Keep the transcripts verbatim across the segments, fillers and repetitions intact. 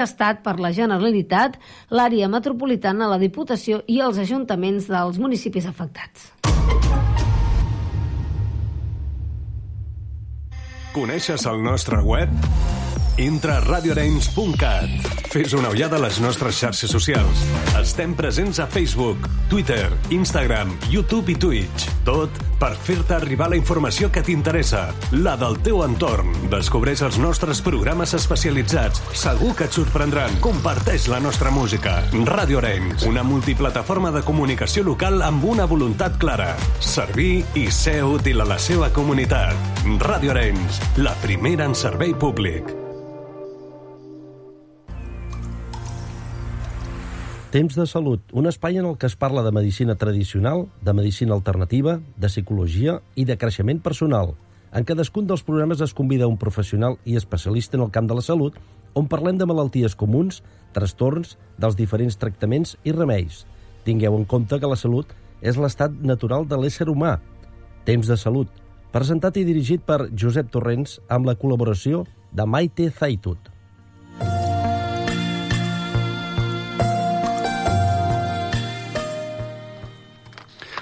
Estat per la Generalitat, l'àrea metropolitana, la Diputació i els ajuntaments dels municipis afectats. Coneixes el nostre web? Entra a radio arenys punt cat. Fes una ullada a les nostres xarxes socials. Estem presents a Facebook, Twitter, Instagram, YouTube i Twitch. Tot per fer-te arribar la informació que t'interessa, la del teu entorn. Descobreix els nostres programes especialitzats. Segur que et sorprendran. Comparteix la nostra música. Ràdio Arenys, una multiplataforma de comunicació local amb una voluntat clara: servir i ser útil a la seva comunitat. Ràdio Arenys, la primera en servei públic. Temps de salut, un espai en el que es parla de medicina tradicional, de medicina alternativa, de psicologia i de creixement personal. En cadascun dels programes es convida un professional i especialista en el camp de la salut, on parlem de malalties comuns, trastorns, dels diferents tractaments i remeis. Tingueu en compte que la salut és l'estat natural de l'ésser humà. Temps de salut, presentat i dirigit per Josep Torrents amb la col·laboració de Maite Zaitut.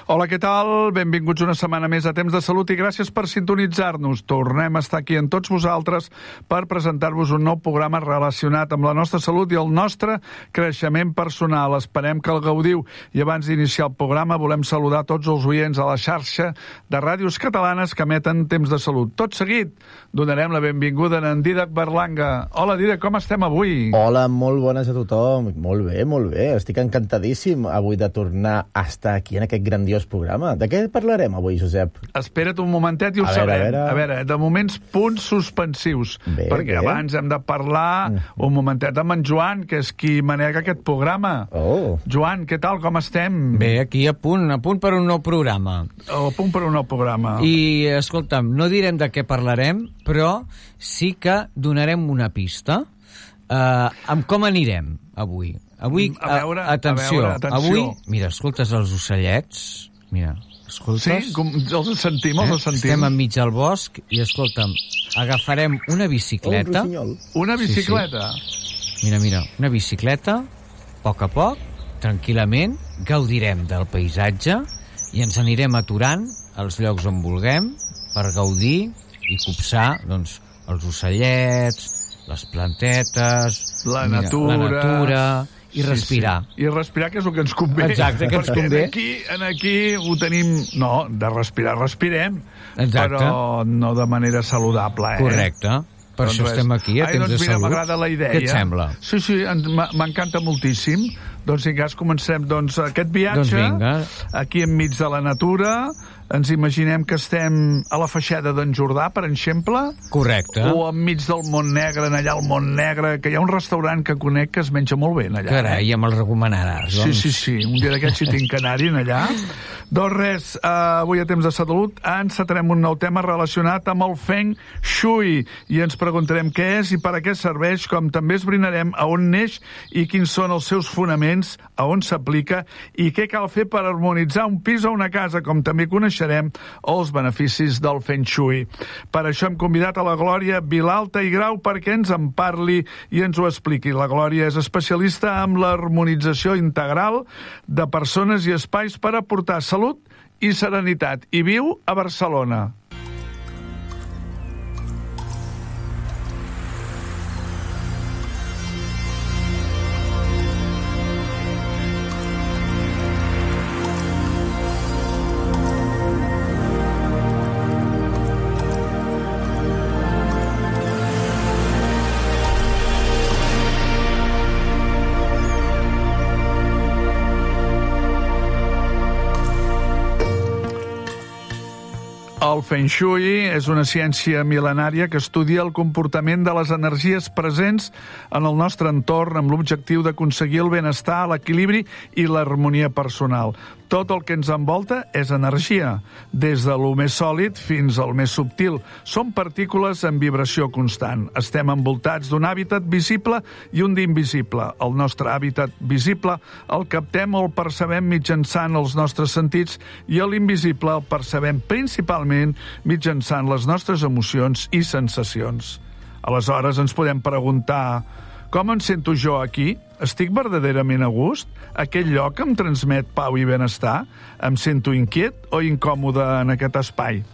Hola, què tal? Benvinguts una setmana més a Temps de Salut i gràcies per sintonitzar-nos. Tornem a estar aquí amb tots vosaltres per presentar-vos un nou programa relacionat amb la nostra salut i el nostre creixement personal. Esperem que el gaudiu. I abans d'iniciar el programa volem saludar tots els oients a la xarxa de ràdios catalanes que emeten Temps de Salut. Tot seguit donarem la benvinguda a en Dídac Berlanga. Hola, Dídac, com estem avui? Hola, molt bones a tothom. Molt bé, molt bé. Estic encantadíssim avui de tornar a estar aquí en aquest grandiós programa. De què parlarem avui, Josep? Espera't un momentet i ho a sabrem. Veure, a, veure. a veure, de moments punts suspensius. Bé, perquè bé. abans hem de parlar mm. un momentet amb en Joan, que és qui manega aquest programa. Oh. Joan, què tal, com estem? Bé, aquí a punt, a punt per un nou programa. A punt per un nou programa. I, escolta'm, no direm de què parlarem, però sí que donarem una pista uh, amb com anirem avui. Avui, a veure, atenció, a veure, atenció. Avui, mira, escoltes els ocellets, mira, escoltes? Sí, com els sentim, els sentim. Estem enmig del bosc i, escolta'm, agafarem una bicicleta. Oh, una bicicleta? Sí, sí. Mira, mira, una bicicleta, a poc a poc, tranquil·lament, gaudirem del paisatge i ens anirem aturant als llocs on vulguem per gaudir i copsar, doncs, els ocellets, les plantetes, la mira, natura... la natura i respirar. Sí, sí. I respirar, que és el que ens convé. Exacte, que ens convé. Perquè aquí, en aquí ho tenim... No, de respirar, respirem. Exacte. Però no de manera saludable, eh? Correcte. Per doncs això res. estem aquí, a Ai, Temps doncs de mira, Salut. m'agrada la idea. Què et sembla? Sí, sí, m'encanta moltíssim. Doncs si cas comencem doncs, aquest viatge doncs aquí enmig de la natura. Ens imaginem que estem a la Feixeda d'en Jordà, per exemple. Correcte. O enmig del Mont Negre, en allà al Mont Negre, que hi ha un restaurant que conec que es menja molt bé, allà. Carai, eh? ja me'l recomanaràs, Sí, doncs. sí, sí. Un dia d'aquests si tinc que anar-hi allà. Doncs res, uh, avui a Temps de Salut encetarem un nou tema relacionat amb el Feng Shui i ens preguntarem què és i per a què serveix, com també esbrinarem a on neix i quins són els seus fonaments, a on s'aplica i què cal fer per harmonitzar un pis o una casa, com també coneixerem els beneficis del Feng Shui. Per això hem convidat a la Glòria Vilalta i Grau perquè ens en parli i ens ho expliqui. La Glòria és especialista en l'harmonització integral de persones i espais per aportar salut i serenitat i viu a Barcelona. El Feng Shui és una ciència mil·lenària que estudia el comportament de les energies presents en el nostre entorn amb l'objectiu d'aconseguir el benestar, l'equilibri i l'harmonia personal. Tot el que ens envolta és energia, des de lo més sòlid fins al més subtil. Són partícules en vibració constant. Estem envoltats d'un hàbitat visible i un d'invisible. El nostre hàbitat visible el captem o el percebem mitjançant els nostres sentits i l'invisible el percebem principalment mitjançant les nostres emocions i sensacions. Aleshores ens podem preguntar Com em sento jo aquí? Estic verdaderament a gust? Aquell lloc em transmet pau i benestar? Em sento inquiet o incòmode en aquest espai?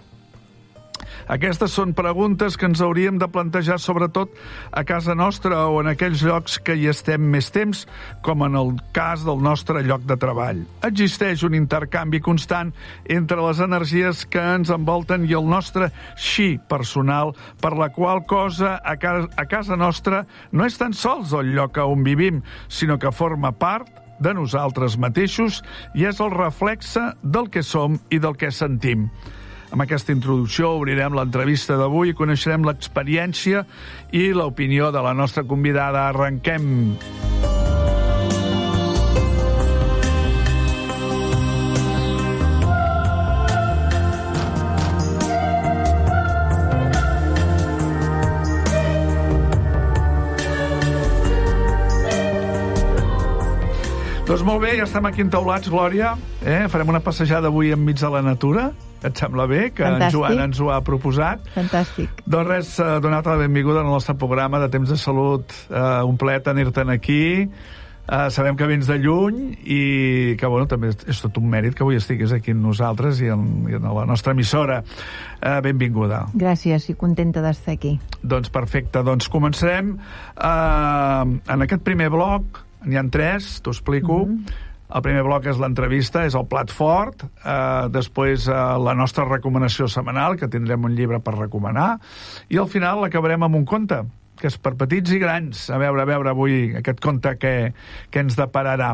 Aquestes són preguntes que ens hauríem de plantejar sobretot a casa nostra o en aquells llocs que hi estem més temps, com en el cas del nostre lloc de treball. Existeix un intercanvi constant entre les energies que ens envolten i el nostre xi personal, per la qual cosa a casa, a casa nostra no és tan sols el lloc on vivim, sinó que forma part de nosaltres mateixos i és el reflexe del que som i del que sentim. Amb aquesta introducció obrirem l'entrevista d'avui i coneixerem l'experiència i l'opinió de la nostra convidada. Arrenquem! Doncs molt bé, ja estem aquí entaulats, Glòria. Eh? Farem una passejada avui enmig de la natura. Et sembla bé? Que Fantàstic. En Joan ens ho ha proposat. Fantàstic. Doncs res, donar-te la benvinguda al nostre programa de Temps de Salut. Uh, un plaer tenir-te'n aquí. Uh, sabem que vens de lluny i que, bueno, també és tot un mèrit que avui estiguis aquí amb nosaltres i en, i en la nostra emissora. Uh, benvinguda. Gràcies, i contenta d'estar aquí. Doncs perfecte. Doncs començarem uh, en aquest primer bloc. N'hi ha tres, t'ho explico. Mm-hmm. El primer bloc és l'entrevista, és el plat fort, eh, després eh, la nostra recomanació setmanal, que tindrem un llibre per recomanar, i al final l'acabarem amb un conte, que és per petits i grans. A veure, a veure avui aquest conte que, que ens depararà.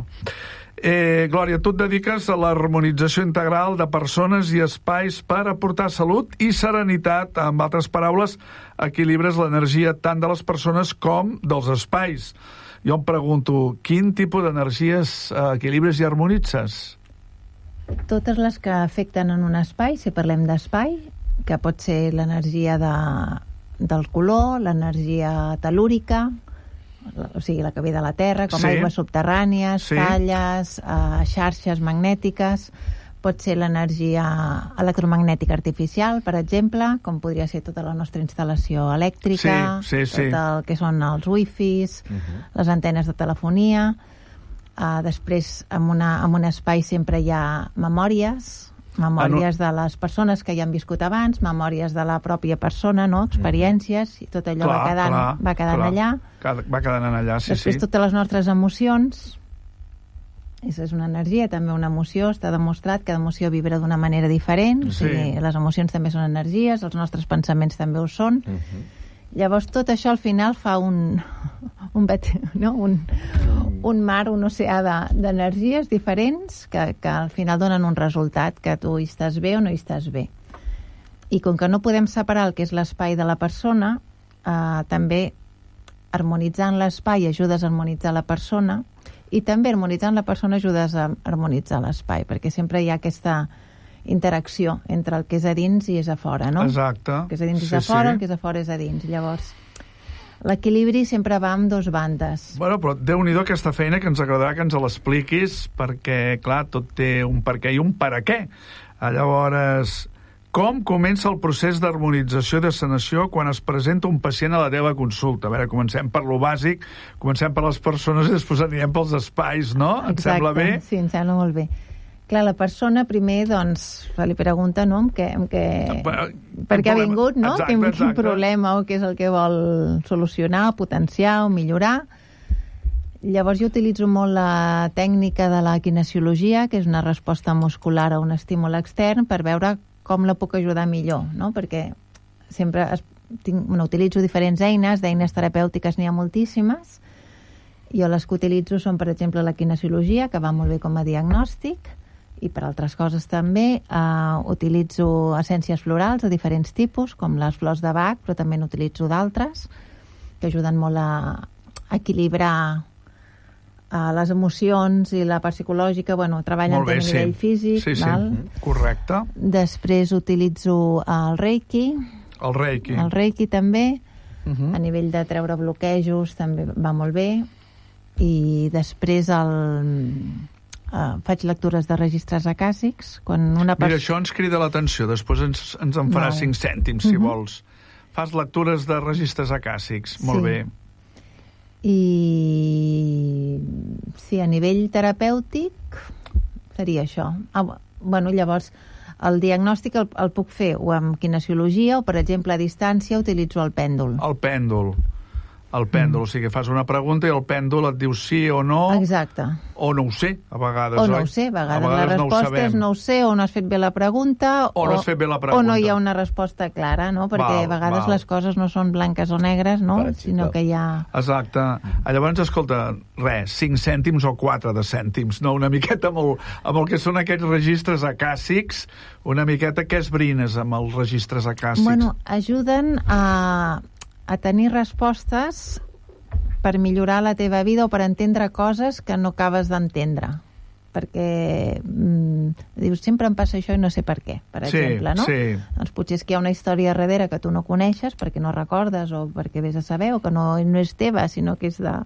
Eh, Glòria, tu et dediques a l'harmonització integral de persones i espais per aportar salut i serenitat. Amb altres paraules, equilibres l'energia tant de les persones com dels espais. Jo em pregunto, quin tipus d'energies eh, equilibres i harmonitzes? Totes les que afecten en un espai, si parlem d'espai, que pot ser l'energia de, del color, l'energia telúrica, o sigui, la que ve de la Terra, com sí. aigües subterrànies, sí. talles, eh, xarxes magnètiques, pot ser l'energia electromagnètica artificial, per exemple, com podria ser tota la nostra instal·lació elèctrica, sí, sí, sí. tot el que són els wifis, uh-huh. les antenes de telefonia. Uh, després, en, una, en un espai sempre hi ha memòries, memòries ah, no. de les persones que hi han viscut abans, memòries de la pròpia persona, no? experiències, i tot allò clar, va quedant, clar, va quedant clar. allà. Va quedant allà, sí, després, sí. totes les nostres emocions. Això és una energia, també una emoció. Està demostrat que cada emoció vibra d'una manera diferent. Sí. O sigui, les emocions també són energies, els nostres pensaments també ho són. Uh-huh. Llavors, tot això al final fa un, un, bet, no? un, un mar, un oceà d'energies de, diferents que, que al final donen un resultat, que tu hi estàs bé o no hi estàs bé. I com que no podem separar el que és l'espai de la persona, eh, també harmonitzant l'espai ajudes a harmonitzar la persona, i també harmonitzant la persona ajudes a harmonitzar l'espai, perquè sempre hi ha aquesta interacció entre el que és a dins i és a fora, no? Exacte. El que és a dins sí, és a fora, sí. el que és a fora és a dins. Llavors, l'equilibri sempre va amb dos bandes. Bueno, però Déu-n'hi-do aquesta feina que ens agradarà que ens l'expliquis, perquè, clar, tot té un per què i un per a què. Llavors, com comença el procés d'harmonització i de sanació quan es presenta un pacient a la teva consulta? A veure, comencem per lo bàsic, comencem per les persones i després anirem pels espais, no? Exacte, et sembla bé? Sí, em sembla molt bé. Clar, la persona primer, doncs, se li pregunta, no?, amb què, amb què, per què ha vingut, no? Exacte, quin, exacte. quin problema o què és el que vol solucionar, potenciar o millorar. Llavors jo utilitzo molt la tècnica de la kinesiologia, que és una resposta muscular a un estímul extern, per veure com la puc ajudar millor, no? Perquè sempre es, tinc, bueno, utilitzo diferents eines, d'eines terapèutiques n'hi ha moltíssimes. Jo les que utilitzo són, per exemple, la kinesiologia, que va molt bé com a diagnòstic, i per altres coses també. Uh, utilitzo essències florals de diferents tipus, com les flors de Bach, però també n'utilitzo d'altres, que ajuden molt a equilibrar Uh, les emocions i la part psicològica, bueno, treballen bé, a nivell sí. físic. Sí, sí, val? correcte. Després utilitzo el Reiki. El Reiki. El Reiki també. Uh-huh. A nivell de treure bloquejos també va molt bé. I després el... Uh, faig lectures de registres acàsics. Quan una Mira, pers... això ens crida l'atenció. Després ens, ens en farà cinc cèntims, si uh-huh. vols. Fas lectures de registres acàssics. Molt sí. bé. I sí, a nivell terapèutic seria això. Ah, bueno, llavors, el diagnòstic el, el puc fer o amb kinesiologia o, per exemple, a distància utilitzo el pèndol. El pèndol. El pèndol, mm. o sigui, fas una pregunta i el pèndol et diu sí o no. Exacte. O no ho sé, a vegades, o oi? no ho sé, a vegades, a vegades la resposta no és no ho sé, o no has fet bé la pregunta, o, no has fet bé la pregunta. o no hi ha una resposta clara, no? Perquè val, a vegades val. les coses no són blanques o negres, no? Sinó que hi ha... Exacte. Llavors, escolta, res, cinc cèntims o quatre de cèntims, no? Una miqueta amb el, amb el que són aquests registres acàssics, una miqueta què esbrines amb els registres acàssics? Bueno, ajuden a, a tenir respostes per millorar la teva vida o per entendre coses que no acabes d'entendre. Perquè mm, dius, sempre em passa això i no sé per què, per sí, exemple, no? Sí. Doncs potser és que hi ha una història darrere que tu no coneixes perquè no recordes o perquè vés a saber o que no, no és teva, sinó que és de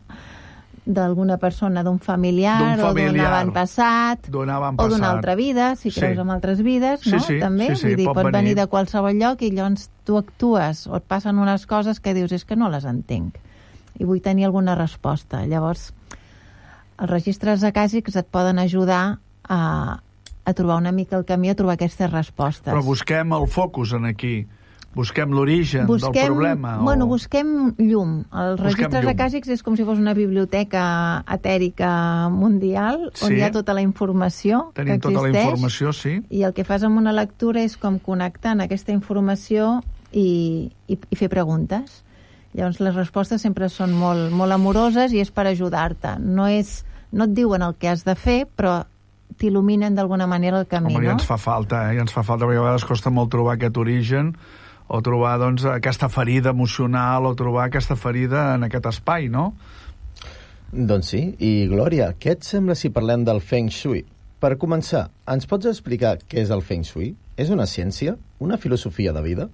d'alguna persona, d'un familiar, familiar o d'un avantpassat o d'una altra vida, si creus sí. en altres vides, no? Sí, sí, també, sí, sí, vull dir, pot, pot venir. venir de qualsevol lloc i llavors tu actues o et passen unes coses que dius, és que no les entenc i vull tenir alguna resposta. Llavors, els registres acàssics et poden ajudar a, a trobar una mica el camí, a trobar aquestes respostes. Però busquem el focus en aquí. Busquem l'origen del problema. Bueno, o... busquem llum. Els busquem registres llum. acàssics és com si fos una biblioteca etèrica mundial, sí. on hi ha tota la informació Tenim que existeix. tota la informació, sí. I el que fas amb una lectura és com connectar aquesta informació i, i, i fer preguntes. Llavors les respostes sempre són molt, molt amoroses i és per ajudar-te. No, és, no et diuen el que has de fer, però t'il·luminen d'alguna manera el camí, Home, no? ja ens fa falta, eh? Ja ens fa falta, perquè a vegades costa molt trobar aquest origen o trobar, doncs, aquesta ferida emocional o trobar aquesta ferida en aquest espai, no? Doncs sí. I, Glòria, què et sembla si parlem del Feng Shui? Per començar, ens pots explicar què és el Feng Shui? És una ciència? Una filosofia de vida?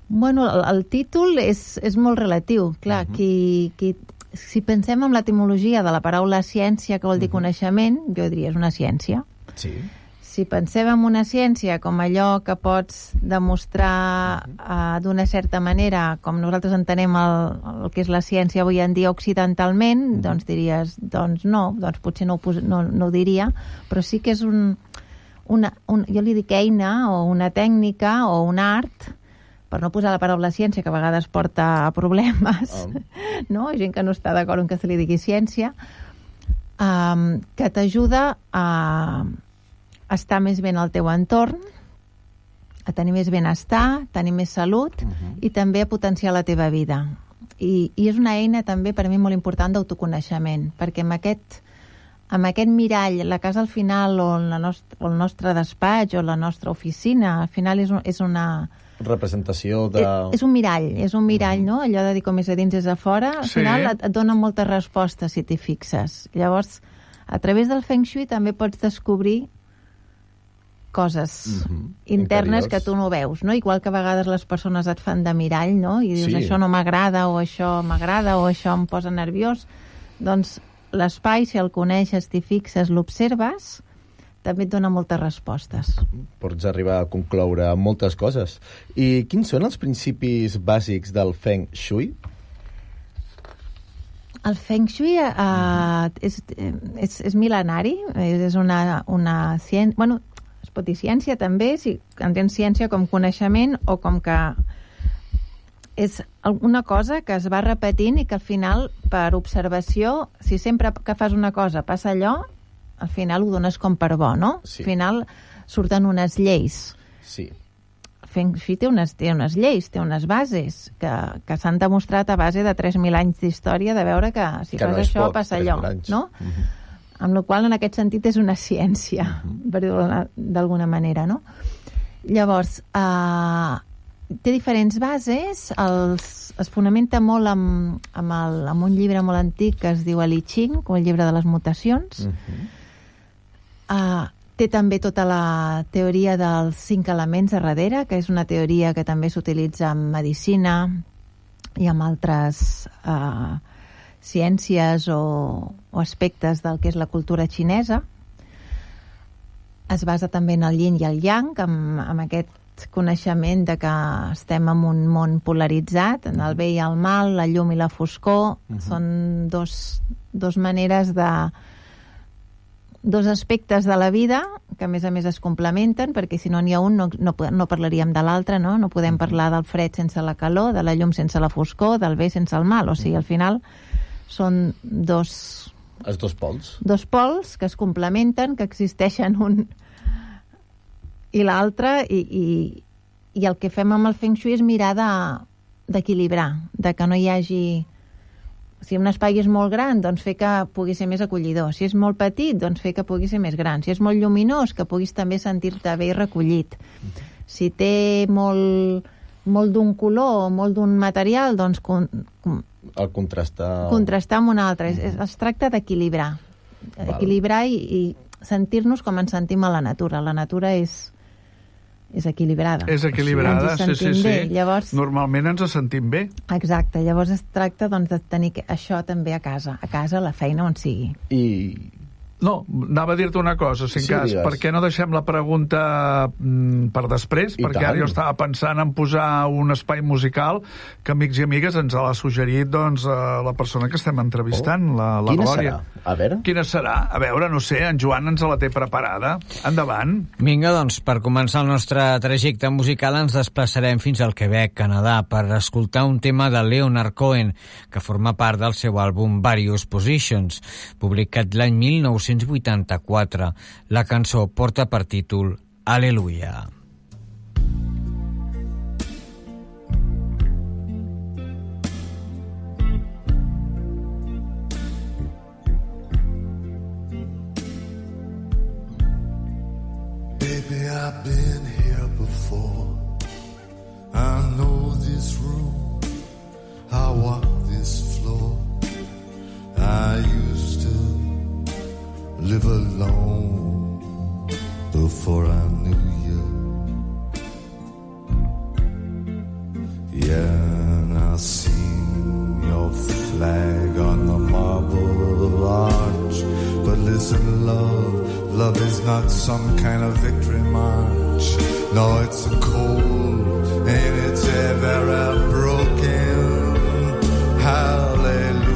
Bueno, el, el títol és, és molt relatiu. Clar, uh-huh. qui, qui, si pensem en l'etimologia de la paraula ciència, que vol dir uh-huh. coneixement, jo diria és una ciència. Sí. Si pensem en una ciència com allò que pots demostrar uh-huh. uh, d'una certa manera, com nosaltres entenem el, el que és la ciència avui en dia occidentalment, uh-huh. doncs diries, doncs no, doncs potser no ho, pos, no, no ho diria, però sí que és un, una, un, jo li dic eina o una tècnica o un art, per no posar la paraula ciència, que a vegades porta a problemes, um. no? Gent que no està d'acord en que se li digui ciència, um, que t'ajuda a estar més bé en el teu entorn, a tenir més benestar, tenir més salut uh-huh. i també a potenciar la teva vida. I, I és una eina també per mi molt important d'autoconeixement, perquè amb aquest, amb aquest mirall, la casa al final o, la nost- o el nostre despatx o la nostra oficina, al final és, un, és una... representació de... És, és un mirall, és un mirall, no? Allò de dir com és a dins és a fora, al sí. final et, et donen moltes respostes si t'hi fixes. Llavors, a través del Feng Shui també pots descobrir coses mm-hmm. internes Interiors. Que tu no veus, no? Igual que a vegades les persones et fan de mirall, no? I dius, sí. això no m'agrada, o això m'agrada, o això em posa nerviós. Doncs l'espai, si el coneixes, t'hi fixes, l'observes, també et dona moltes respostes. Pots arribar a concloure moltes coses. I quins són els principis bàsics del Feng Shui? El Feng Shui uh, mm-hmm. és, és, és mil·lenari, és una, una ciència... Bueno, es pot dir ciència també, si entens ciència com coneixement o com que és una cosa que es va repetint i que al final, per observació, si sempre que fas una cosa passa allò, al final ho dones com per bo, no? Sí. Al final surten unes lleis. Sí. Feng Shui té unes, té unes lleis, té unes bases que, que s'han demostrat a base de tres mil anys d'història de veure que si que fas no això poc, passa allò, no? Uh-huh. Amb la qual en aquest sentit és una ciència, uh-huh. per dir-ho d'alguna manera, no? Llavors, eh, té diferents bases, els, es fonamenta molt amb, amb, el, amb un llibre molt antic que es diu el I Ching, o el llibre de les mutacions. Uh-huh. Uh, té també tota la teoria dels cinc elements a darrere, que és una teoria que també s'utilitza en medicina i en altres uh, ciències o, o aspectes del que és la cultura xinesa. Es basa també en el yin i el yang, amb, amb aquest aquest coneixement de que estem en un món polaritzat, en el bé i el mal, la llum i la foscor, uh-huh. són dos, dos maneres de... dos aspectes de la vida que a més a més es complementen, perquè si no n'hi ha un no, no, no parlaríem de l'altre, no? No podem parlar del fred sense la calor, de la llum sense la foscor, del bé sense el mal. O sigui, al final són dos... Els dos pols. Dos pols que es complementen, que existeixen un i l'altre, i, i, i el que fem amb el Feng Shui és mirar de, d'equilibrar, de que no hi hagi... Si un espai és molt gran, doncs fer que pugui ser més acollidor. Si és molt petit, doncs fer que pugui ser més gran. Si és molt lluminós, que puguis també sentir-te bé i recollit. Si té molt, molt d'un color o molt d'un material, doncs... Con, con, el contrastar... Contrastar amb un altre. Mm-hmm. Es, es tracta d'equilibrar. Val. Equilibrar i, i sentir-nos com ens sentim a la natura. La natura és... és equilibrada. És equilibrada, sí, sí, sí. Llavors, normalment ens sentim bé. Exacte, llavors es tracta doncs, de tenir això també a casa, a casa, a la feina, on sigui. I... No, anava a dir-te una cosa, si en sí, cas, digues. per què no deixem la pregunta mm, per després? I perquè tant. ara jo estava pensant en posar un espai musical que amics i amigues ens l'ha suggerit doncs, la persona que estem entrevistant, oh. la, la Quina Glòria. Serà? A veure? Quina serà? A veure, no sé, en Joan ens la té preparada. Endavant. Vinga, doncs, per començar el nostre trajecte musical ens desplaçarem fins al Quebec, Canadà, per escoltar un tema de Leonard Cohen, que forma part del seu àlbum Various Positions, publicat l'any mil nou-cents vuitanta-quatre. La cançó porta per títol Aleluia. Baby, I've been here before. I know this room. I walk this floor. I used to live alone before I knew you. Yeah, and I seen your flag on the marble arch. But listen, love, love is not some kind of victory march. No, it's a cold and it's ever broken. Hallelujah.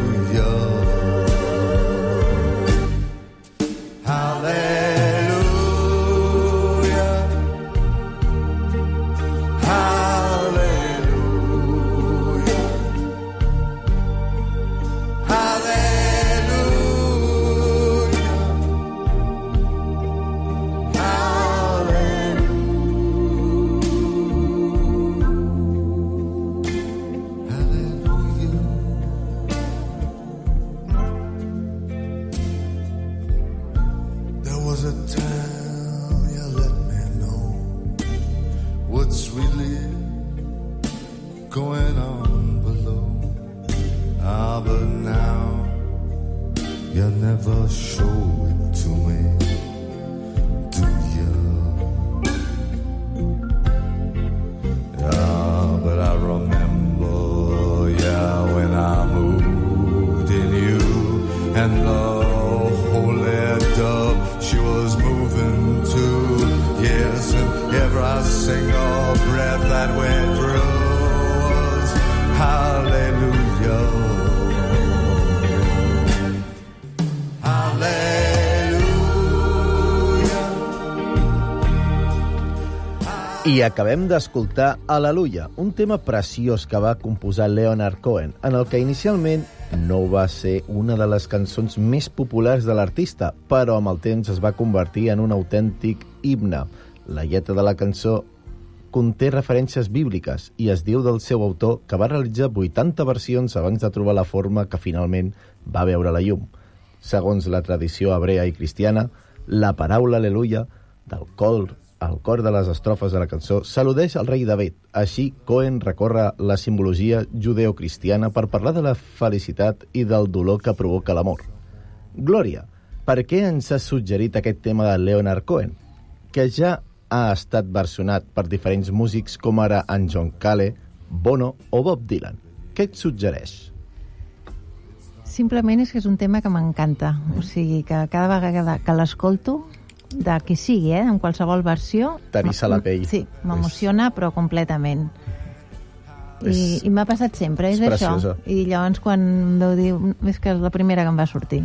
I acabem d'escoltar Aleluia, un tema preciós que va composar Leonard Cohen, en el que inicialment no va ser una de les cançons més populars de l'artista, però amb el temps es va convertir en un autèntic himne. La lletra de la cançó conté referències bíbliques i es diu del seu autor que va realitzar vuitanta versions abans de trobar la forma que finalment va veure la llum. Segons la tradició hebrea i cristiana, la paraula Aleluia del cor al cor de les estrofes de la cançó s'al·ludeix al rei David. Així, Cohen recorre la simbologia judeocristiana per parlar de la felicitat i del dolor que provoca l'amor. Glòria, per què ens has suggerit aquest tema de Leonard Cohen, que ja ha estat versionat per diferents músics com ara en John Cale, Bono o Bob Dylan? Què et suggereix? Simplement és que és un tema que m'encanta. O sigui, que cada vegada que l'escolto de qui sigui, eh? En qualsevol versió. T'eriça la pell. Sí, m'emociona, però completament. I, És- i m'ha passat sempre, és, és això. preciosa. I llavors quan em veu dir, és que és la primera que em va sortir.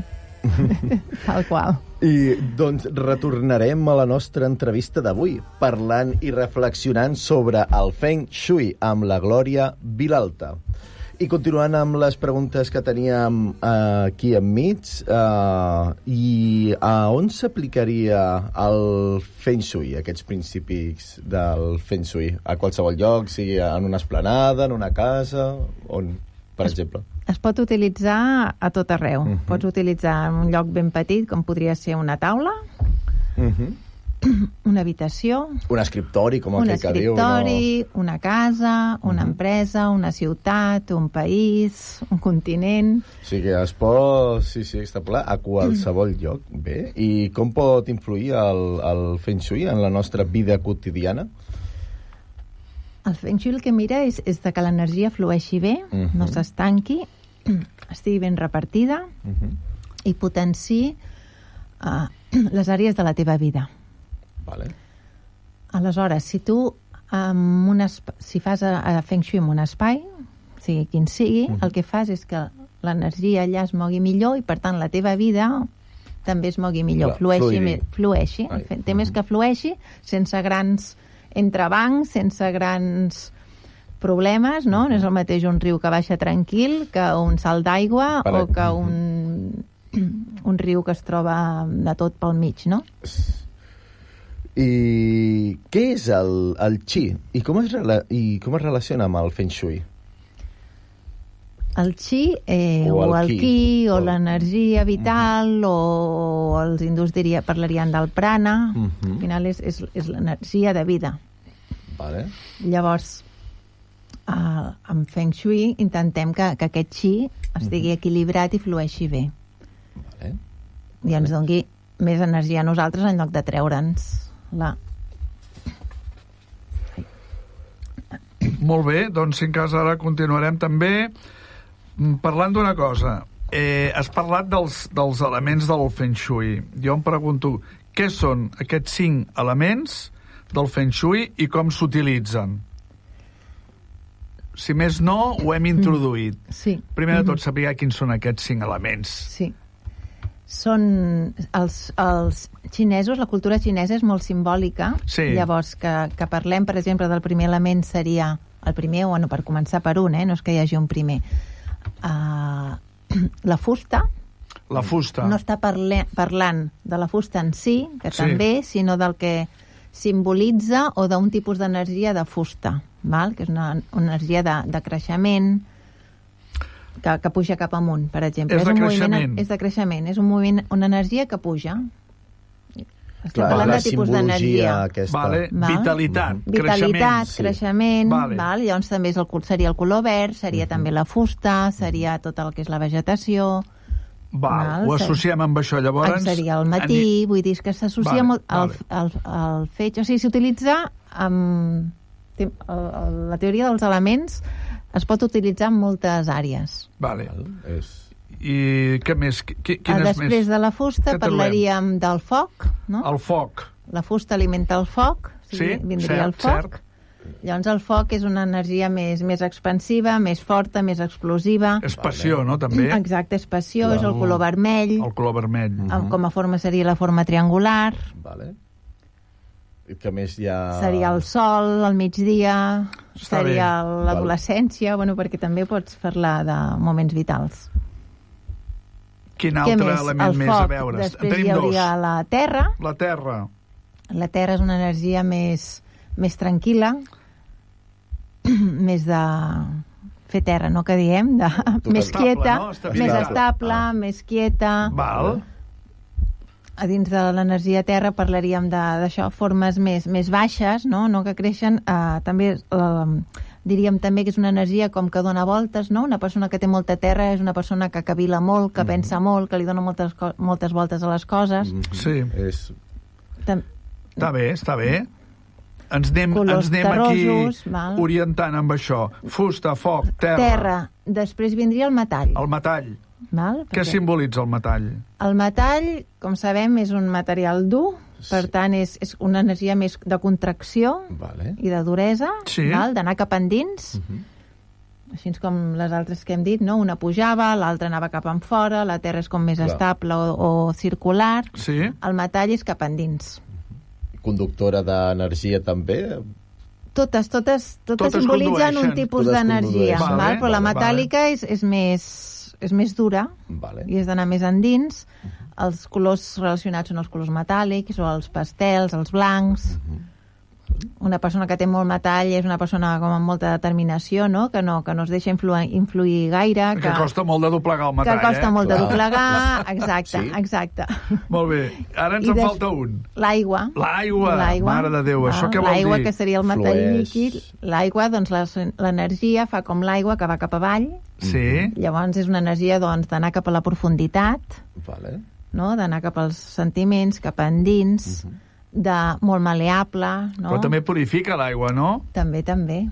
Tal qual. I doncs retornarem a la nostra entrevista d'avui, parlant i reflexionant sobre el Feng Shui amb la Glòria Vilalta. I continuant amb les preguntes que teníem eh, aquí enmig, eh, i a on s'aplicaria el Feng Shui, aquests principis del Feng Shui? A qualsevol lloc, sigui en una esplanada, en una casa, on, per Es- exemple? Es pot utilitzar a tot arreu. Mhm. Pots utilitzar en un lloc ben petit, com podria ser una taula, Uh -huh. una habitació, Un escriptori, com un aquell que diu. escriptori, una casa, una Mhm. empresa, una ciutat, un país, un continent. O sigui que es pot, sí, sí, extrapolar a qualsevol lloc. Bé, i com pot influir el, el Feng Shui en la nostra vida quotidiana? El Feng Shui el que mira és, és de que l'energia flueixi bé, Mhm. no s'estanqui, estigui ben repartida Uh -huh. i potenciï uh, les àrees de la teva vida. Vale. Aleshores, si tu um, un esp- si fas a, a Feng Shui en un espai, sigui quin sigui, Mhm. el que fas és que l'energia allà es mogui millor i, per tant, la teva vida també es mogui millor, Clar, flueixi, fluïdi. més, flueixi. Ai, El tema és mhm. que flueixi sense grans entrebancs, sense grans problemes, no? No és el mateix un riu que baixa tranquil que un salt d'aigua Per- o que mhm. un, un riu que es troba de tot pel mig, no? I què és el, el Qi? I com, es rela I com es relaciona amb el Feng Shui? El Qi, eh, O o el el Qi. Qi, o O- l'energia vital, o els hindús diria, parlarien del prana. Mhm. Al final és, és, és l'energia de vida. Vale. Llavors, eh, amb Feng Shui intentem que, que aquest Qi estigui equilibrat i flueixi bé. Vale. I ens doni més energia a nosaltres en lloc de treure'ns la... Molt bé, doncs si en cas ara continuarem també mm, parlant d'una cosa. Eh, has parlat dels, dels elements del Feng Shui. Jo em pregunto, què són aquests cinc elements del Feng Shui i com s'utilitzen? Si més no, ho hem introduït. Sí. Primer de tot, saber quins són aquests cinc elements. Sí. Són els, els xinesos, la cultura xinesa és molt simbòlica. Sí. Llavors, que, que parlem, per exemple, del primer element seria el primer, o bueno, per començar per un, eh? No és que hi hagi un primer. Uh, la fusta. La fusta. No està parle, parlant de la fusta en si, que Sí. també, sinó del que simbolitza o d'un tipus d'energia de fusta, val? Que és una, una energia de, de creixement, que, que puja cap amunt, per exemple. És de un creixement. moviment, és de creixement, és un moviment, una energia que puja. Estem Clar, parlant la de tipus simbologia d'energia. aquesta. Vale. Val. Vitalitat, Vitalitat, creixement. sí. creixement, Vale. val? Llavors també és el, col- seria el color verd, seria també la fusta, seria tot el que és la vegetació. Val, Val, ho sí. associem amb això. Llavors, Seria al matí, vull dir, és que s'associa Vale, molt al, vale. al, al fetge. O sigui, s'utilitza amb... té- el- el- La teoria dels elements es pot utilitzar en moltes àrees. Vale. Val? És... I què més? Qui, Ah, quines Després més? de la fusta Què trobem? parlaríem del foc, no? El foc. La fusta alimenta el foc, o sigui, Sí, vindria cert, el foc. cert. Llavors el foc és una energia més, més expansiva, més forta, més explosiva. És passió, no, també? Exacte, és passió, Clar. és el color vermell, El color vermell. amb- com a forma seria la forma triangular, Vale. I que més hi ha... seria el sol, al migdia, Està seria bé. l'adolescència, bueno, perquè també pots parlar de moments vitals. Quin Què altre més? element El més foc, a veure? En després tenim hi hauria dos. la terra. La terra. La terra és una energia més, més tranquil·la, més de fer terra, no que diem, de, més Estable, quieta, no? Estabilitat. més estable, Ah. més quieta. Val. A dins de l'energia terra parlaríem de- d'això, formes més, més baixes, no, no que creixen. Eh, també eh, diríem també que és una energia com que dona voltes, no? Una persona que té molta terra és una persona que cavila molt, que pensa molt, que li dona moltes, co- moltes voltes a les coses. Mhm. Sí. És... Tam- Està bé, està bé. Ens anem, Colors ens anem aquí terrosos, val. orientant amb això. Fusta, foc, terra. terra. Després vindria el metall. El metall. Val? Què Perquè simbolitza el metall? el metall, com sabem, és un material dur, Per tant, és, és una energia més de contracció Vale. i de duresa, Sí. val? D'anar cap endins, Mhm. així com les altres que hem dit, no? Una pujava, l'altra anava cap en fora, la terra és com més Clar. estable o, o circular, Sí. el metall és cap endins. Conductora d'energia també? Totes, totes, totes, Totes simbolitzen un condueixen. tipus Totes d'energia, condueixen. val? Vale, Però la vale, metàl·lica és, és, més, és més dura Vale. i és d'anar més endins. Els colors relacionats són els colors metàl·lics o els pastels, els blancs. Una persona que té molt metall és una persona com amb molta determinació, no? Que no, que no es deixa influir, influir gaire. Que costa molt de doblegar el que metall, costa eh? molt de Clar. doblegar. Exacte, Sí. exacte. Molt bé. Ara ens I en des- falta un. L'aigua. L'aigua. L'aigua. Mare de Déu, això Ah, què vol L'aigua, dir? que seria el metall Flueix. líquid. L'aigua, doncs, les- l'energia fa com l'aigua que va cap avall. Sí. Llavors és una energia, doncs, d'anar cap a la profunditat, Vale. no? D'anar cap als sentiments, cap a endins, de molt maleable, no? Però també purifica l'aigua, no? També, també.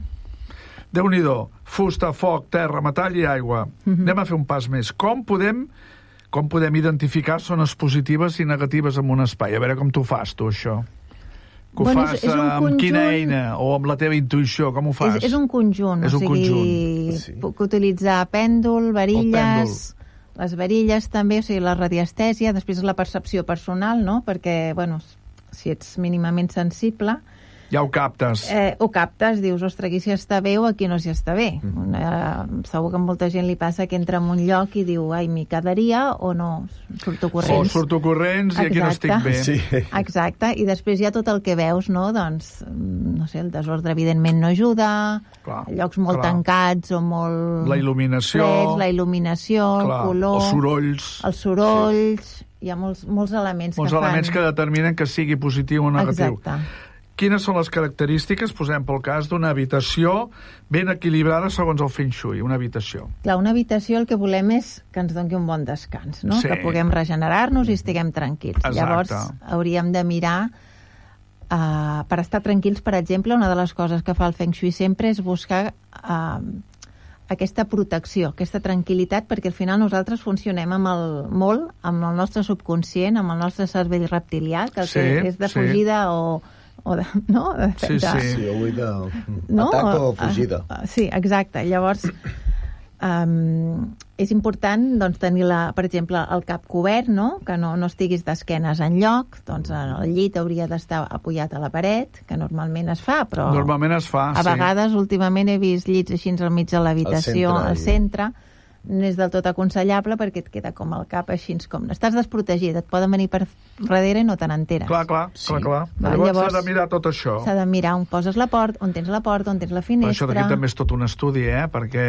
Déu-n'hi-do. Fusta, foc, terra, metall i aigua. Mhm. Anem a fer un pas més. Com podem com podem identificar zones positives i negatives en un espai? A veure com t'ho fas, tu, això. Que ho Bueno, és- fas és un amb conjunt- quina eina? O amb la teva intuïció? Com ho fas? És, és un conjunt, És o un sigui, conjunt. Sí. puc utilitzar pèndol, varilles, les varilles també, o sigui, la radiestèsia, després la percepció personal, no? Perquè, bueno, si ets mínimament sensible, Ja ho captes. eh, ho captes, dius, ostres, aquí s'hi està bé o aquí no s'hi està bé. Mm. Eh, segur que a molta gent li passa que entra en un lloc i diu, ai, m'hi quedaria o no, surto O corrents. surto corrents i aquí no Exacte. estic bé. Sí. Exacte, i després hi ha tot el que veus, no? Doncs, no sé, el desordre evidentment no ajuda, Clar, llocs molt clar. tancats o molt La il·luminació. freds, la il·luminació, Clar, el color, els sorolls. els sorolls, hi ha molts, molts elements Molts que elements fan... que determinen que sigui positiu o negatiu. Exacte. Quines són les característiques, posem pel cas, d'una habitació ben equilibrada segons el Feng Shui, una habitació? Clar, una habitació el que volem és que ens doni un bon descans, no? Sí. Que puguem regenerar-nos i estiguem tranquils. Exacte. Llavors, hauríem de mirar uh, per estar tranquils, per exemple, una de les coses que fa el Feng Shui sempre és buscar uh, aquesta protecció, aquesta tranquil·litat, perquè al final nosaltres funcionem amb el, molt amb el nostre subconscient, amb el nostre cervell reptilià, que el Sí, que és de sí. fugida o, o de, no? De, Sí, de, sí. Sí, avui de... no? Atac o fugida. Uh, uh, sí, exacte. Llavors, um, és important doncs, tenir, la, per exemple, el cap cobert, no? Que no, no estiguis d'esquenes enlloc, doncs el llit hauria d'estar apoyat a la paret, que normalment es fa, però Normalment es fa, a sí. vegades últimament he vist llits així al mig de l'habitació, Al centre, al i- centre, no és del tot aconsellable perquè et queda com el cap així com... Estàs desprotegit, et poden venir per darrere i no te n'enteres. Clar, clar, Sí. clar, clar. Va, Llavors llavors- s'ha de mirar tot això. S'ha de mirar on poses la porta, on tens la porta, on tens la Però això finestra... d'aquí també és tot un estudi, eh? Perquè,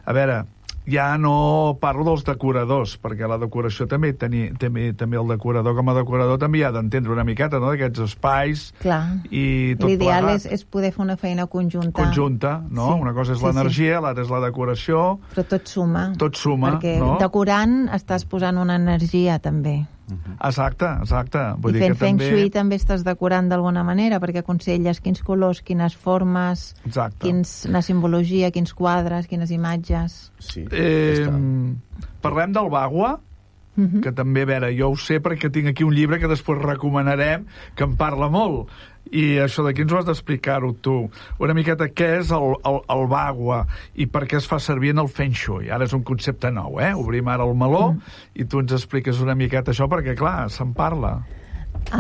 a veure, ja no parlo dels decoradors, perquè la decoració també, teni, també, també el decorador com a decorador també ha d'entendre una miqueta, no?, d'aquests espais Clar. i tot L'ideal plegat. és, és poder fer una feina conjunta. Conjunta, no? Sí, Una cosa és sí, l'energia, l'altra és la decoració. Però tot suma. Tot suma, perquè no? decorant estàs posant una energia, també. Exacte, exacte. Vull I dir fent que Feng també... Shui també estàs decorant d'alguna manera, perquè aconselles quins colors, quines formes, Exacte. quins, la simbologia, quins quadres, quines imatges... Sí, Eh, està. parlem del Bagua, Mhm. que també, a veure, jo ho sé perquè tinc aquí un llibre que després recomanarem, que en parla molt. I això d'aquí ens ho has d'explicar-ho tu. Una miqueta què és el, el, el Bagua i per què es fa servir en el Feng Shui. Ara és un concepte nou, eh? Obrim ara el meló Mm. i tu ens expliques una miqueta això perquè, clar, se'n parla.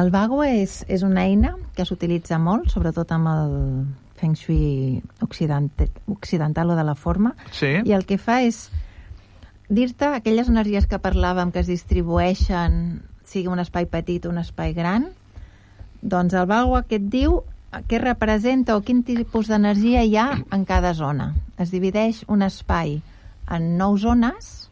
El Bagua és, és una eina que s'utilitza molt, sobretot amb el Feng Shui occident, occidental o de la forma, Sí? i el que fa és dir-te aquelles energies que parlàvem que es distribueixen, sigui un espai petit o un espai gran, doncs el Bagua que et diu què representa o quin tipus d'energia hi ha en cada zona. Es divideix un espai en nou zones,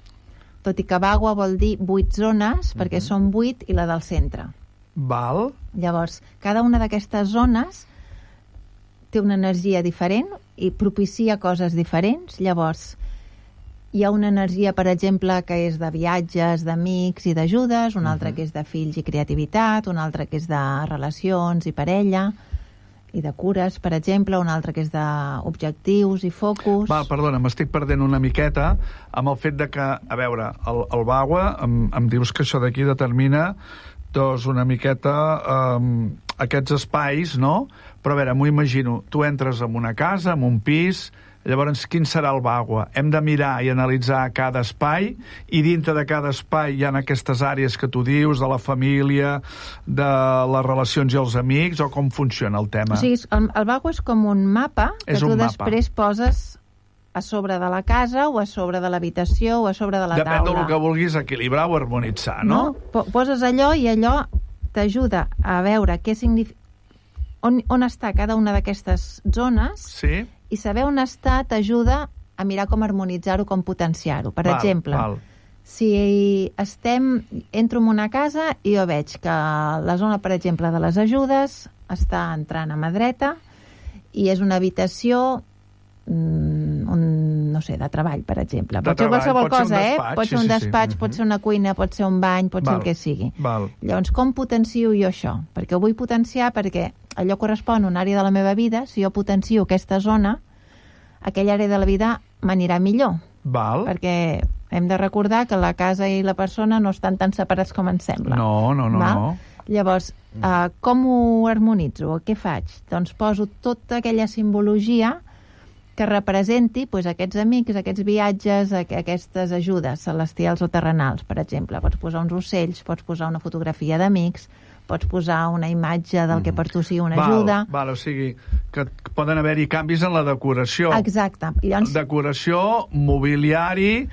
tot i que Bagua vol dir vuit zones, perquè són vuit i la del centre. Val? Llavors, cada una d'aquestes zones té una energia diferent i propicia coses diferents. Llavors, hi ha una energia, per exemple, que és de viatges, d'amics i d'ajudes, una altra que és de fills i creativitat, una altra que és de relacions i parella, i de cures, per exemple, un altre que és d'objectius i focus. Va, perdona, m'estic perdent una miqueta amb el fet de que, a veure, el, el Bagua, em, em dius que això d'aquí determina doncs una miqueta um, aquests espais, no? Però a veure, m'ho imagino, tu entres en una casa, en un pis, llavors, quin serà el Bagua? Hem de mirar i analitzar cada espai, i dintre de cada espai hi ha aquestes àrees que tu dius, de la família, de les relacions i els amics, o com funciona el tema? O sigui, el, el Bagua és com un mapa que és tu mapa. després poses a sobre de la casa, o a sobre de l'habitació, o a sobre de la Depèn taula. Depèn del que vulguis equilibrar o harmonitzar, no? No, poses allò i allò t'ajuda a veure què significa, on, on està cada una d'aquestes zones, sí. I saber on està t'ajuda a mirar com harmonitzar-ho, com potenciar-ho. Per val, exemple, val. si estem, entro en una casa i jo veig que la zona, per exemple, de les ajudes està entrant a mà dreta i és una habitació mm, un, no sé, de treball, per exemple. De pot ser treball, qualsevol pot cosa, ser eh? despatx, Pot ser un sí, sí, despatx, sí. pot ser una cuina, pot ser un bany, pot val, ser el que sigui. Val. Llavors, com potencio jo això? Perquè ho vull potenciar perquè allò correspon a una àrea de la meva vida. Si jo potencio aquesta zona, aquella àrea de la vida m'anirà millor. Val. Perquè hem de recordar que la casa i la persona no estan tan separats com ens sembla. No, no, no. Val? no. Llavors, uh, com ho harmonitzo? Què faig? Doncs poso tota aquella simbologia que representi pues, aquests amics, aquests viatges, aqu aquestes ajudes celestials o terrenals, per exemple. Pots posar uns ocells, pots posar una fotografia d'amics, pots posar una imatge del que per tu sigui una val, ajuda. Val, o sigui, que poden haver-hi canvis en la decoració. Exacte. Llavors, decoració, mobiliari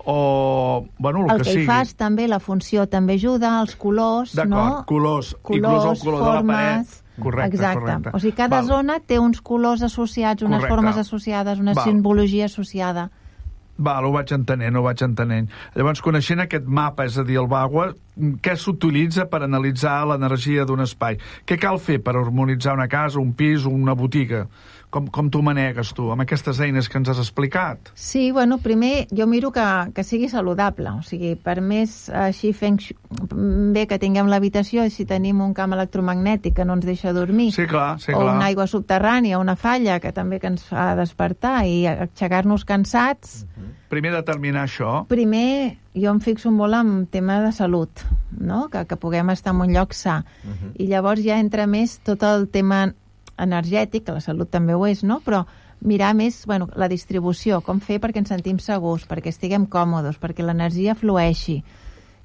o... Bueno, el, el que, que sigui. hi fas també, la funció també ajuda, els colors, no? D'acord, colors, colors, inclús el color formes, de la paret. Correcte, exacte. correcte. O sigui, cada val. zona té uns colors associats, unes correcte. formes associades, una val. simbologia associada. Val, ho vaig entenent, ho vaig entenent. Llavors, coneixent aquest mapa, és a dir, el Bagua, què s'utilitza per analitzar l'energia d'un espai? Què cal fer per harmonitzar una casa, un pis o una botiga? Com, com tu manegues, tu, amb aquestes eines que ens has explicat? Sí, bueno, primer jo miro que, que sigui saludable. O sigui, per més així feng bé que tinguem l'habitació, i si tenim un camp electromagnètic que no ens deixa dormir, sí, clar, sí, o clar. una aigua subterrània, una falla que també que ens fa despertar i aixecar-nos cansats... Uh-huh. Primer determinar això. Primer, jo em fixo molt en tema de salut, no? que, que puguem estar en un lloc sa. Uh-huh. I llavors ja entra més tot el tema energètic, que la salut també ho és, no? Però mirar més, bueno, la distribució, com fer perquè ens sentim segurs, perquè estiguem còmodes, perquè l'energia flueixi,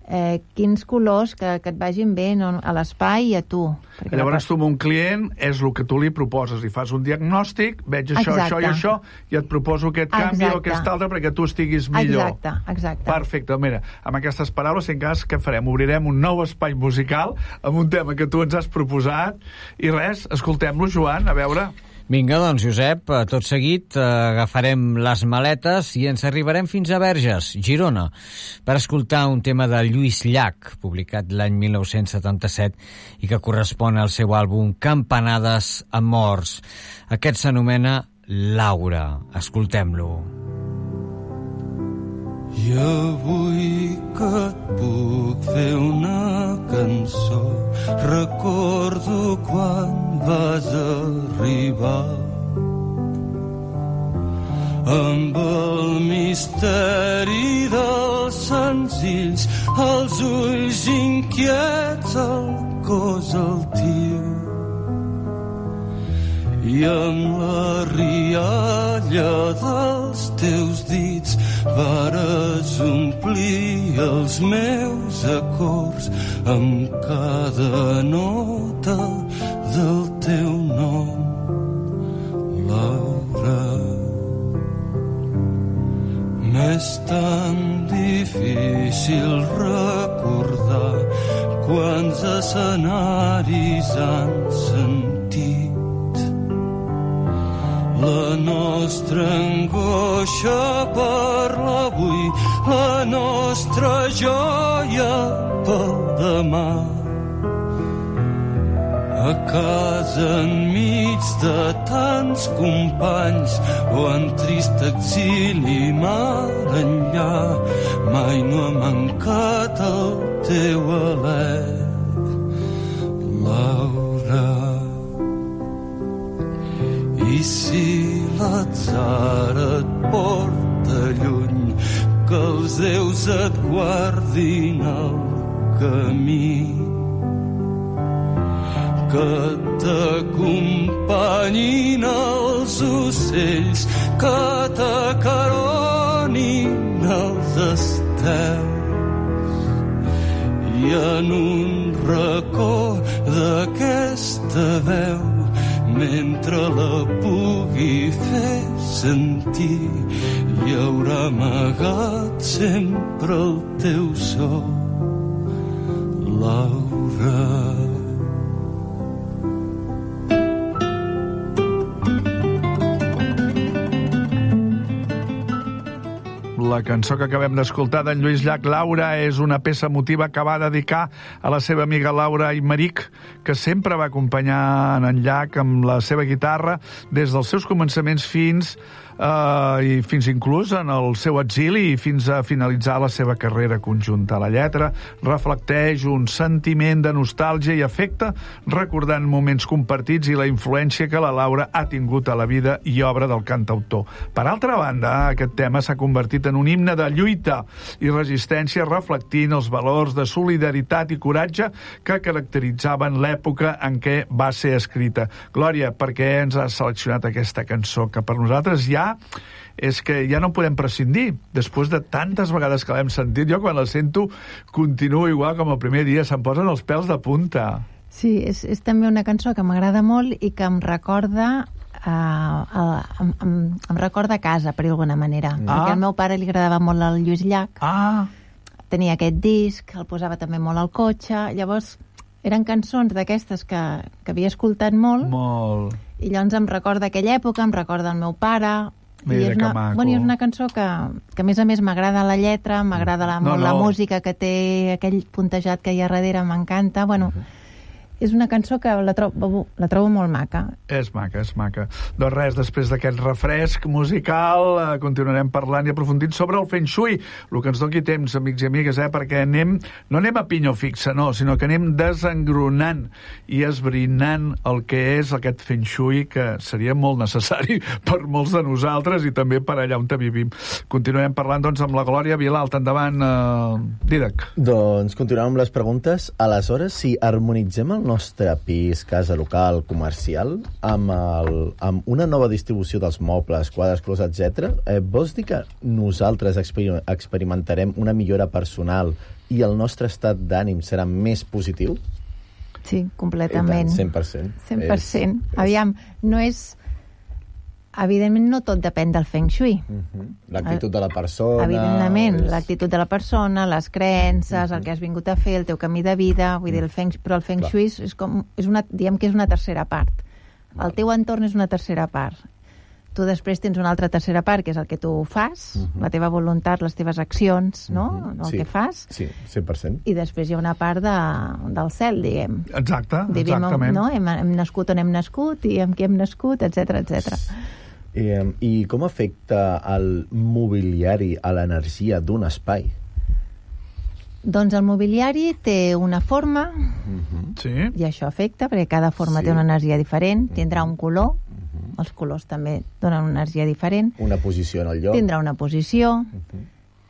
eh, quins colors que, que et vagin bé, no, a l'espai i a tu. Perquè llavors la... tu amb un client és el que tu li proposes, li fas un diagnòstic, veig això, exacte. això i això, i et proposo aquest canvi exacte. o aquest altre perquè tu estiguis millor. Exacte, exacte. Perfecte, mira, amb aquestes paraules, en cas, què farem? Obrirem un nou espai musical amb un tema que tu ens has proposat i res, escoltem-lo, Joan, a veure... Vinga, doncs, Josep, tot seguit eh, agafarem les maletes i ens arribarem fins a Verges, Girona, per escoltar un tema de Lluís Llach, publicat l'any mil nou-cents setanta-set i que correspon al seu àlbum Campanades amb morts. Aquest s'anomena Laura. Escoltem-lo. I avui que et puc fer una cançó, recordo quan vas arribar amb el misteri dels senzills, els ulls inquiets, el cos altiu i amb la rialla dels teus dits vares omplir els meus acords amb cada nota del teu nom, Laura. M'és tan difícil recordar quants escenaris han sentit la nostra angoixa per l'avui, la nostra joia pel demà. A casa enmig de tants companys o en trist exili mar enllà, mai no ha mancat el teu alè, Laura. i si l'atzar et porta lluny, que els déus et guardin el camí, que t'acompanyin els ocells, que t'acaronin els estels, i en un racó d'aquesta veu, mentre la pugui fer sentir, hi haurà amagat sempre el teu so, Laura. La cançó que acabem d'escoltar d'en Lluís Llach, Laura, és una peça emotiva que va dedicar a la seva amiga Laura Aymerich, que sempre va acompanyar en Llach amb la seva guitarra des dels seus començaments fins Uh, i fins inclús en el seu exili i fins a finalitzar la seva carrera conjunta. La lletra reflecteix un sentiment de nostàlgia i afecte, recordant moments compartits i la influència que la Laura ha tingut a la vida i obra del cantautor. Per altra banda, aquest tema s'ha convertit en un himne de lluita i resistència, reflectint els valors de solidaritat i coratge que caracteritzaven l'època en què va ser escrita. Glòria, per què ens has seleccionat aquesta cançó que per nosaltres ja és que ja no podem prescindir. Després de tantes vegades que l'hem sentit, jo quan la sento continuo igual com el primer dia, se'm posen els pèls de punta. Sí, és, és també una cançó que m'agrada molt i que em recorda uh, uh, em, em, em recorda a casa, per alguna manera. Ah. Perquè al meu pare li agradava molt el Lluís Llach. Ah. Tenia aquest disc, el posava també molt al cotxe, llavors eren cançons d'aquestes que, que havia escoltat molt. Molt. I llavors em recorda aquella època, em recorda el meu pare. Mira, I és una, que maco. Bueno, és una cançó que, que a més a més m'agrada la lletra, m'agrada la, no, molt no. la música que té, aquell puntejat que hi ha darrere, m'encanta. Bueno, uh-huh. És una cançó que la trobo, la trobo molt maca. És maca, és maca. Doncs res, després d'aquest refresc musical, eh, continuarem parlant i aprofundint sobre el Feng Shui, el que ens doni temps, amics i amigues, eh, perquè anem, no anem a pinyó fixa, no, sinó que anem desengronant i esbrinant el que és aquest Feng Shui, que seria molt necessari per molts de nosaltres i també per allà on vivim. Continuarem parlant, doncs, amb la Glòria Vilalta. Endavant, eh, Dídac. Doncs continuem amb les preguntes. Aleshores, si harmonitzem el nostre pis, casa local, comercial, amb, el, amb una nova distribució dels mobles, quadres, closets, etcètera, eh, vols dir que nosaltres exper experimentarem una millora personal i el nostre estat d'ànim serà més positiu? Sí, completament. I tant, cent per cent. cent per cent. És, Aviam, no és... Evidentment, no tot depèn del Feng Shui. Uh-huh. L'actitud de la persona... Evidentment, és... l'actitud de la persona, les creences, uh-huh. el que has vingut a fer, el teu camí de vida, vull dir, el Feng, però el Feng Clar. Shui és com, és una, diem que és una tercera part. Val. El teu entorn és una tercera part. Tu després tens una altra tercera part, que és el que tu fas, uh-huh. la teva voluntat, les teves accions, no? Uh-huh. El sí. que fas. Sí, cent per cent. I després hi ha una part de, del cel, diguem. Exacte, Vivim, exactament. No? Hem, hem nascut on hem nascut i amb qui hem nascut, etcètera, etcètera. I, I com afecta el mobiliari a l'energia d'un espai? Doncs el mobiliari té una forma, uh-huh. sí. i això afecta, perquè cada forma sí. té una energia diferent, tindrà un color, uh-huh. els colors també donen una energia diferent. Una posició en el lloc. Tindrà una posició, uh-huh.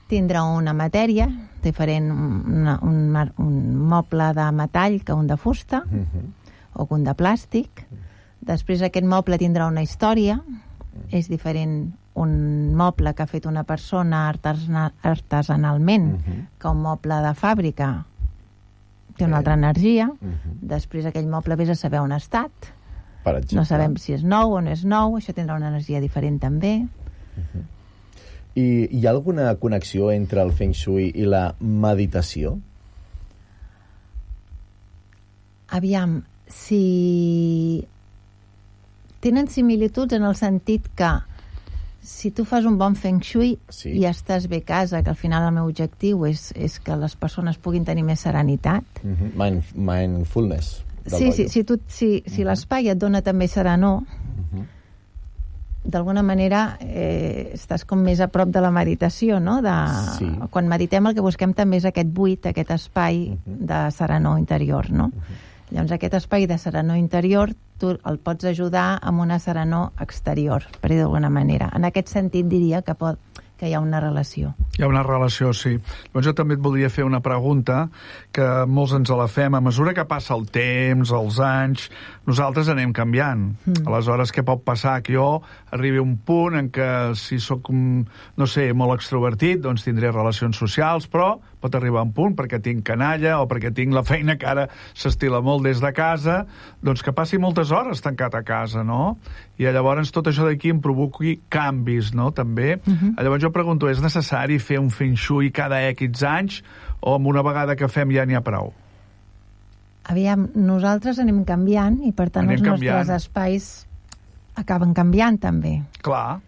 tindrà una matèria diferent, una, un, un moble de metall que un de fusta, uh-huh. o que un de plàstic. Uh-huh. Després aquest moble tindrà una història, és diferent un moble que ha fet una persona artesana, artesanalment uh-huh. que un moble de fàbrica té una altra energia. Uh-huh. Després aquell moble vés a saber on ha estat. Per exemple. No sabem si és nou o no és nou, això tindrà una energia diferent també. Uh-huh. I hi ha alguna connexió entre el Feng Shui i la meditació? Aviam, si... tenen similituds en el sentit que si tu fas un bon Feng Shui sí. i estàs bé a casa, que al final el meu objectiu és, és que les persones puguin tenir més serenitat. Uh-huh. Mind, mindfulness. Sí, sí, si, tu, si, si uh-huh. l'espai et dona també serenor, uh-huh. d'alguna manera eh, estàs com més a prop de la meditació, no? De, sí. Quan meditem el que busquem també és aquest buit, aquest espai uh-huh. de serenor interior, no? Uh-huh. Llavors aquest espai de serenor interior tu el pots ajudar amb una serenor exterior, per dir d'alguna manera. En aquest sentit diria que, pot, que hi ha una relació. Hi ha una relació, sí. Doncs jo també et voldria fer una pregunta que molts ens la fem. A mesura que passa el temps, els anys, nosaltres anem canviant. Mm. Aleshores, què pot passar? Que jo arribi a un punt en què si sóc, no sé, molt extrovertit, doncs tindré relacions socials, però pot arribar a un punt perquè tinc canalla o perquè tinc la feina que ara s'estila molt des de casa, doncs que passi moltes hores tancat a casa, no? I llavors tot això d'aquí em provoqui canvis, no?, també. Uh-huh. Llavors jo pregunto, és necessari fer un feng shui cada X anys o amb una vegada que fem ja n'hi ha prou? Aviam, nosaltres anem canviant i per tant anem els canviant. Nostres espais acaben canviant també. Clar.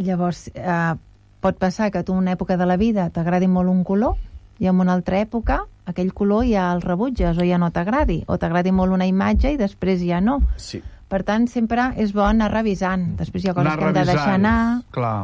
Llavors, eh, pot passar que tu en una època de la vida t'agradi molt un color i en una altra època aquell color ja el rebutges o ja no t'agradi, o t'agradi molt una imatge i després ja no. Sí. Per tant, sempre és bo anar revisant. Després hi ha coses anar que hem de deixar anar. Clar.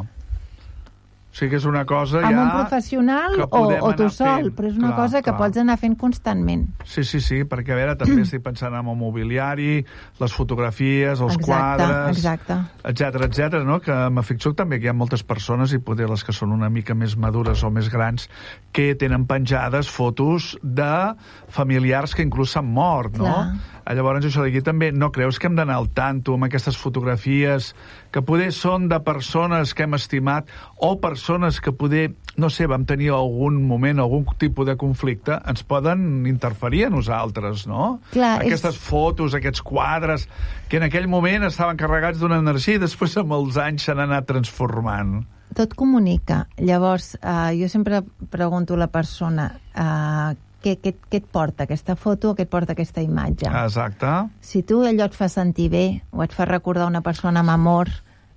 O sigui que és una cosa amb ja... un professional o, o tu sol, fent. Però és una clar, cosa que clar. Pots anar fent constantment. Sí, sí, sí, perquè a veure, també estic pensant en el mobiliari, les fotografies, els exacte, quadres, exacte. etcètera, etcètera, no? Que m'ha fixat també que hi ha moltes persones, i poder les que són una mica més madures o més grans, que tenen penjades fotos de familiars que inclús s'han mort, no? Clar. Llavors, això d'aquí també, no creus que hem d'anar al tanto amb aquestes fotografies que poder són de persones que hem estimat o persones que poder, no sé, vam tenir algun moment, algun tipus de conflicte, ens poden interferir a nosaltres, no? Clar, aquestes és... fotos, aquests quadres, que en aquell moment estaven carregats d'una energia i després amb els anys s'han anat transformant. Tot comunica. Llavors, eh, jo sempre pregunto a la persona... Eh, Què, què, què et porta aquesta foto o què et porta aquesta imatge? Exacte. Si tu allò et fa sentir bé o et fa recordar una persona amb amor,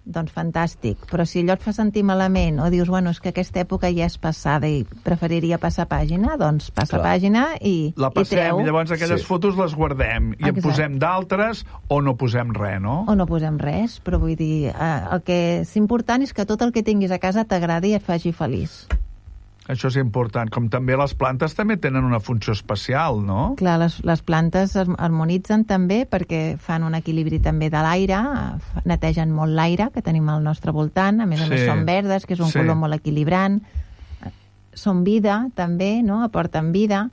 doncs fantàstic. Però si allò et fa sentir malament o dius, bueno, és que aquesta època ja és passada i preferiria passar pàgina, doncs passa Clar. Pàgina i, la passem, i treu. I llavors aquelles sí. fotos les guardem i Exacte. En posem d'altres o no posem res, no? O no posem res, però vull dir, eh, el que és important és que tot el que tinguis a casa t'agradi i et faci feliç. Això és important. Com també les plantes també tenen una funció especial, no? Clar, les, les plantes es harmonitzen també perquè fan un equilibri també de l'aire, netegen molt l'aire que tenim al nostre voltant, a més a sí. més són verdes, que és un sí. color molt equilibrant. Són vida, també, no? Aporten vida.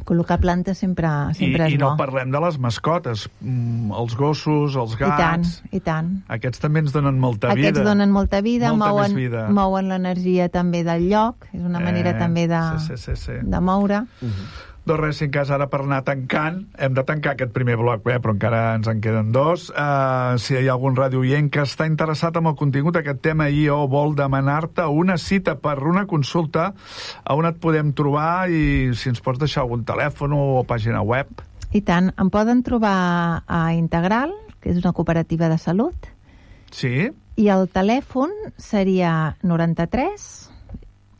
Col·locar plantes sempre, sempre I, és I no bo. parlem de les mascotes, mm, els gossos, els gats... I tant, i tant. Aquests també ens donen molta Aquests vida. Aquests donen molta vida, molta mouen, vida. mouen l'energia també del lloc, és una manera eh, també de, sí, sí, sí, sí. de moure. Uh-huh. Doncs res, si en cas ara per anar tancant, hem de tancar aquest primer bloc, eh, però encara ens en queden dos. Uh, si hi ha algun radioient que està interessat en el contingut d'aquest tema i o vol demanar-te una cita per una consulta, a on et podem trobar i si ens pots deixar algun telèfon o pàgina web. I tant, em poden trobar a Integral, que és una cooperativa de salut. Sí. I el telèfon seria noranta-tres,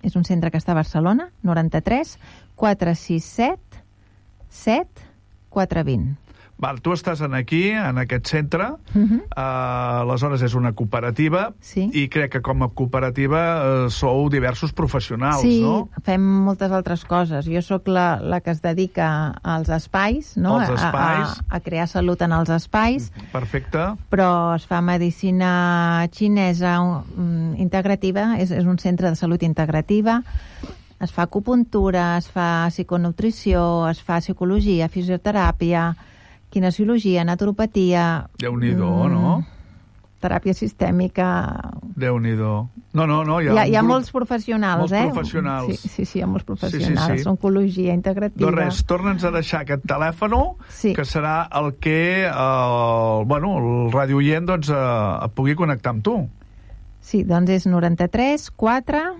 és un centre que està a Barcelona, noranta-tres quatre sis set set quatre dos zero. Val, tu estàs en aquí, en aquest centre, uh-huh. uh, aleshores és una cooperativa, sí. i crec que com a cooperativa uh, sou diversos professionals, sí, no? Sí, fem moltes altres coses. Jo sóc la, la que es dedica als espais, no? Els espais. A, a, a crear salut en els espais. Perfecte. Però es fa medicina xinesa um, integrativa, és, és un centre de salut integrativa. Es fa acupuntura, es fa psiconutrició, es fa psicologia, fisioteràpia, kinesiologia, naturopatia... Déu-n'hi-do, mm, no? Teràpia sistèmica... Déu-n'hi-do. No, no, no, hi ha, hi ha, hi ha grup... molts professionals, molts eh? professionals. Sí, sí, sí, hi ha molts professionals. Sí, sí, sí. Oncologia integrativa... Doncs res, torna'ns a deixar aquest telèfon, sí. que serà el que eh, bueno, el radioient doncs, eh, et pugui connectar amb tu. Sí, doncs és noranta-tres quatre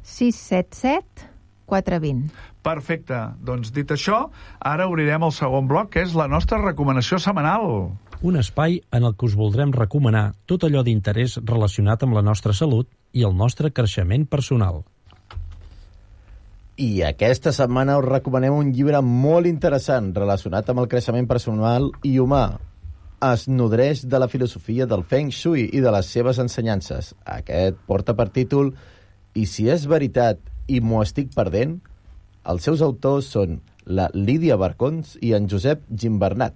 sis set set quatre dos zero. Perfecte. Doncs dit això, ara obrirem el segon bloc, que és la nostra recomanació setmanal. Un espai en el que us voldrem recomanar tot allò d'interès relacionat amb la nostra salut i el nostre creixement personal. I aquesta setmana us recomanem un llibre molt interessant relacionat amb el creixement personal i humà. Es nodreix de la filosofia del Feng Shui i de les seves ensenyances. Aquest porta per títol I si és veritat i m'ho estic perdent? Els seus autors són la Lídia Barcons i en Josep Gimbernat.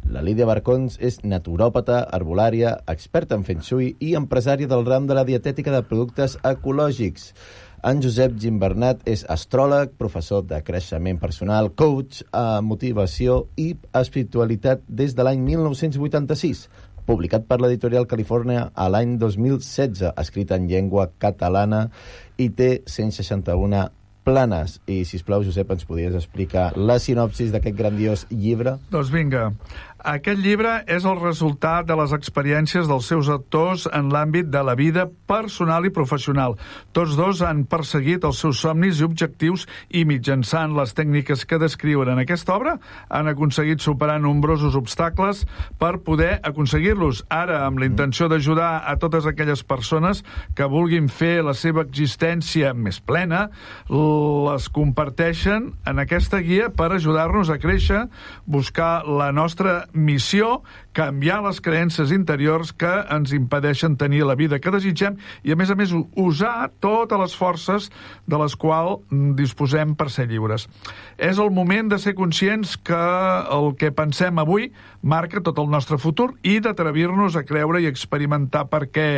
La Lídia Barcons és naturòpata, herbolària, experta en Feng Shui i empresària del ram de la dietètica de productes ecològics. En Josep Gimbernat és astròleg, professor de creixement personal, coach, motivació i espiritualitat des de l'any mil nou-cents vuitanta-sis, publicat per l'editorial Califòrnia a l'any dos mil setze, escrit en llengua catalana i té cent seixanta-un planes. I, sisplau, Josep, ens podries explicar la sinopsis d'aquest grandiós llibre? Doncs vinga. Aquest llibre és el resultat de les experiències dels seus autors en l'àmbit de la vida personal i professional. Tots dos han perseguit els seus somnis i objectius i mitjançant les tècniques que descriuen en aquesta obra han aconseguit superar nombrosos obstacles per poder aconseguir-los. Ara, amb la intenció d'ajudar a totes aquelles persones que vulguin fer la seva existència més plena, les comparteixen en aquesta guia per ajudar-nos a créixer, buscar la nostra missió, canviar les creences interiors que ens impedeixen tenir la vida que desitgem i, a més a més, usar totes les forces de les quals disposem per ser lliures. És el moment de ser conscients que el que pensem avui marca tot el nostre futur i d'atrevir-nos a creure i experimentar per què.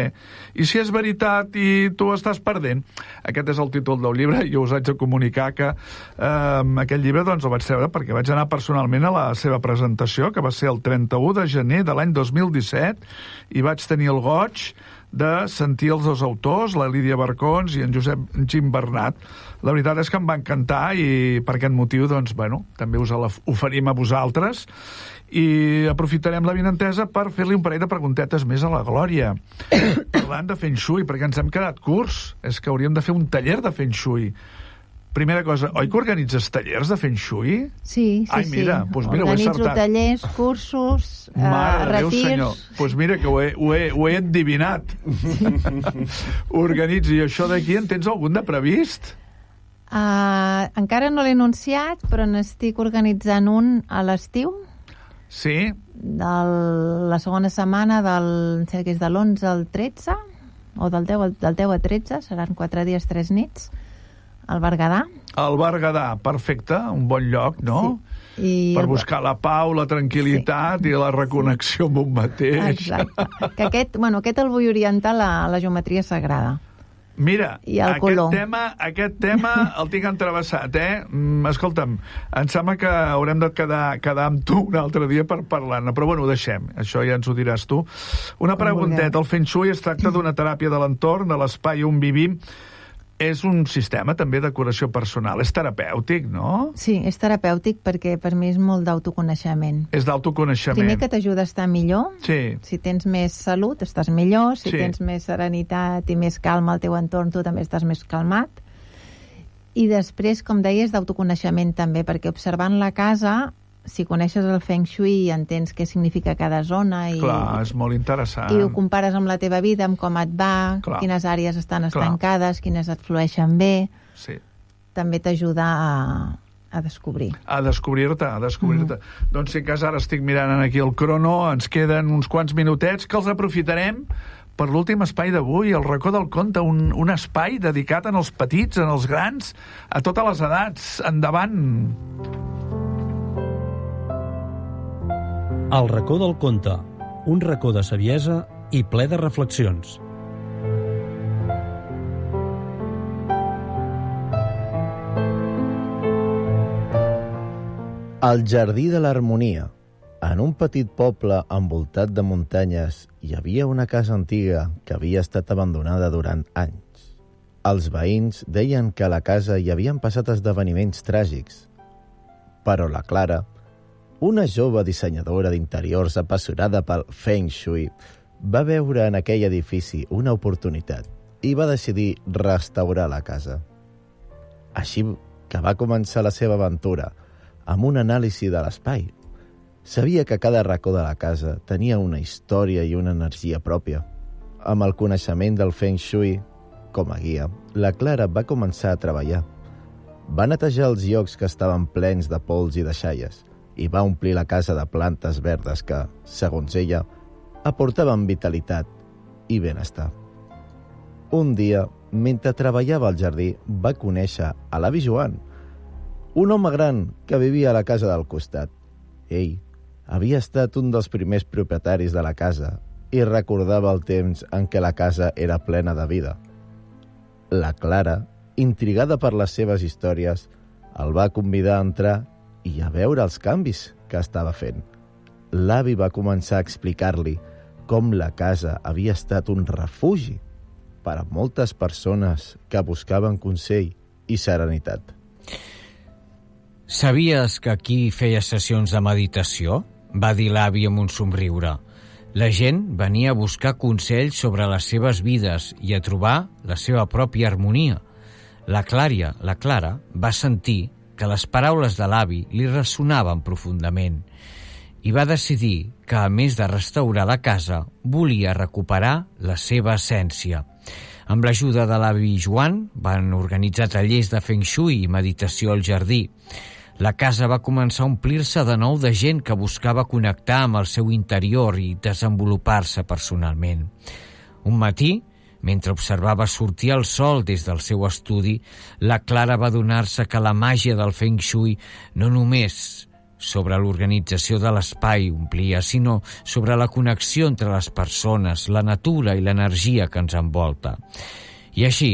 I si és veritat i tu estàs perdent? Aquest és el títol del llibre i us haig de comunicar que eh, aquest llibre doncs, el vaig treure perquè vaig anar personalment a la seva presentació, que va ser el trenta-u de gener de l'any dos mil disset, i vaig tenir el goig de sentir els dos autors, la Lídia Barcons i en Josep Gimbernat. La veritat és que em va encantar i per aquest motiu doncs, bueno, també us oferim a vosaltres i aprofitarem la vinentesa per fer-li un parell de preguntetes més a la Glòria. Parlant de Feng Shui, perquè ens hem quedat curts. És que hauríem de fer un taller de Feng Shui. Primera cosa, oi que organitzes tallers de Feng Shui? Sí, sí, Ai, mira, sí. Doncs mira, Organitzo ho he acertat. tallers, cursos, eh, Mare de Déu, retirs... senyor. Doncs pues mira que ho he, ho he, ho he endivinat. Organitzi. I això d'aquí en tens algun de previst? Uh, encara no l'he anunciat, però n'estic organitzant un a l'estiu. Sí? De la segona setmana del, em sembla que és de l'onze al tretze, o del deu, al- del deu a tretze, seran quatre dies, tres nits, al Berguedà. El Berguedà, perfecte, un bon lloc, no? Sí. I Per buscar la pau, la tranquil·litat sí. i la reconnexió amb un mateix. Exacte. Que aquest, bueno, aquest el vull orientar a la, a la geometria sagrada. Mira, I el aquest color. tema, aquest tema el tinc entrevessat, eh? Mm, escolta'm, em sembla que haurem de quedar, quedar amb tu un altre dia per parlar-ne, però bueno, ho deixem, això ja ens ho diràs tu. Una Com pregunteta, vulgueu. el Feng Shui es tracta d'una teràpia de l'entorn, de l'espai on vivim, és un sistema també de curació personal, és terapèutic, no? Sí, és terapèutic perquè per mi és molt d'autoconeixement. És d'autoconeixement. Primer que t'ajuda a estar millor. Sí. Si tens més salut, estàs millor. Si Sí. tens més serenitat i més calma al teu entorn, tu també estàs més calmat. I després, com deies, d'autoconeixement també, perquè observant la casa, si coneixes el Feng Shui i entens què significa cada zona i, Clar, és molt interessant. i ho compares amb la teva vida, amb com et va, Clar. quines àrees estan Clar. estancades, quines et flueixen bé, Sí. també t'ajuda a, a descobrir. A descobrir-te, a descobrir-te. Mm. Doncs sí, que ara estic mirant aquí el crono, ens queden uns quants minutets que els aprofitarem per l'últim espai d'avui, el racó del conte, un, un espai dedicat en els petits, en els grans, a totes les edats. Endavant! El racó del conte, un racó de saviesa i ple de reflexions. El jardí de l'harmonia. En un petit poble envoltat de muntanyes hi havia una casa antiga que havia estat abandonada durant anys. Els veïns deien que a la casa hi havien passat esdeveniments tràgics. Però la Clara, una jove dissenyadora d'interiors apassionada pel Feng Shui, va veure en aquell edifici una oportunitat i va decidir restaurar la casa. Així que va començar la seva aventura amb un anàlisi de l'espai. Sabia que cada racó de la casa tenia una història i una energia pròpia. Amb el coneixement del Feng Shui com a guia, la Clara va començar a treballar. Va netejar els llocs que estaven plens de pols i deixalles i va omplir la casa de plantes verdes que, segons ella, aportaven vitalitat i benestar. Un dia, mentre treballava al jardí, va conèixer a l'avi Joan, un home gran que vivia a la casa del costat. Ell havia estat un dels primers propietaris de la casa i recordava el temps en què la casa era plena de vida. La Clara, intrigada per les seves històries, el va convidar a entrar i a veure els canvis que estava fent. L'avi va començar a explicar-li com la casa havia estat un refugi per a moltes persones que buscaven consell i serenitat. Sabies que aquí feia sessions de meditació? Va dir l'avi amb un somriure. La gent venia a buscar consells sobre les seves vides i a trobar la seva pròpia harmonia. La Clària, la Clara, va sentir que les paraules de l'avi li ressonaven profundament i va decidir que, a més de restaurar la casa, volia recuperar la seva essència. Amb l'ajuda de l'avi Joan, van organitzar tallers de Feng Shui i meditació al jardí. La casa va començar a omplir-se de nou de gent que buscava connectar amb el seu interior i desenvolupar-se personalment. Un matí, mentre observava sortir el sol des del seu estudi, la Clara va adonar-se que la màgia del Feng Shui no només sobre l'organització de l'espai omplia, sinó sobre la connexió entre les persones, la natura i l'energia que ens envolta. I així,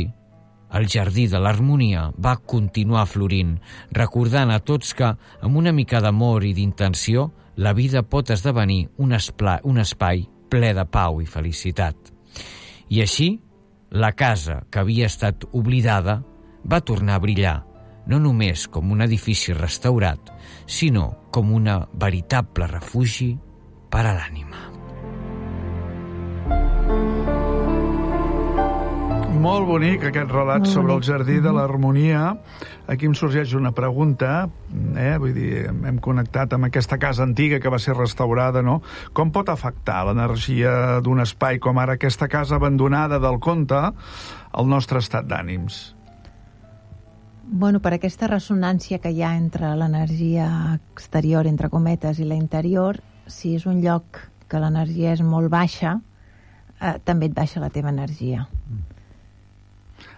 el jardí de l'harmonia va continuar florint, recordant a tots que, amb una mica d'amor i d'intenció, la vida pot esdevenir un, espla, un espai ple de pau i felicitat. I així, la casa que havia estat oblidada va tornar a brillar, no només com un edifici restaurat, sinó com un veritable refugi per a l'ànima. Molt bonic aquest relat Molt sobre el bonic. jardí de l'harmonia. Aquí em sorgeix una pregunta, eh? Vull dir, hem connectat amb aquesta casa antiga que va ser restaurada, no? Com pot afectar l'energia d'un espai com ara aquesta casa abandonada del conte al nostre estat d'ànims? Bueno, per aquesta ressonància que hi ha entre l'energia exterior, entre cometes, i la interior, si és un lloc que l'energia és molt baixa, eh, també et baixa la teva energia.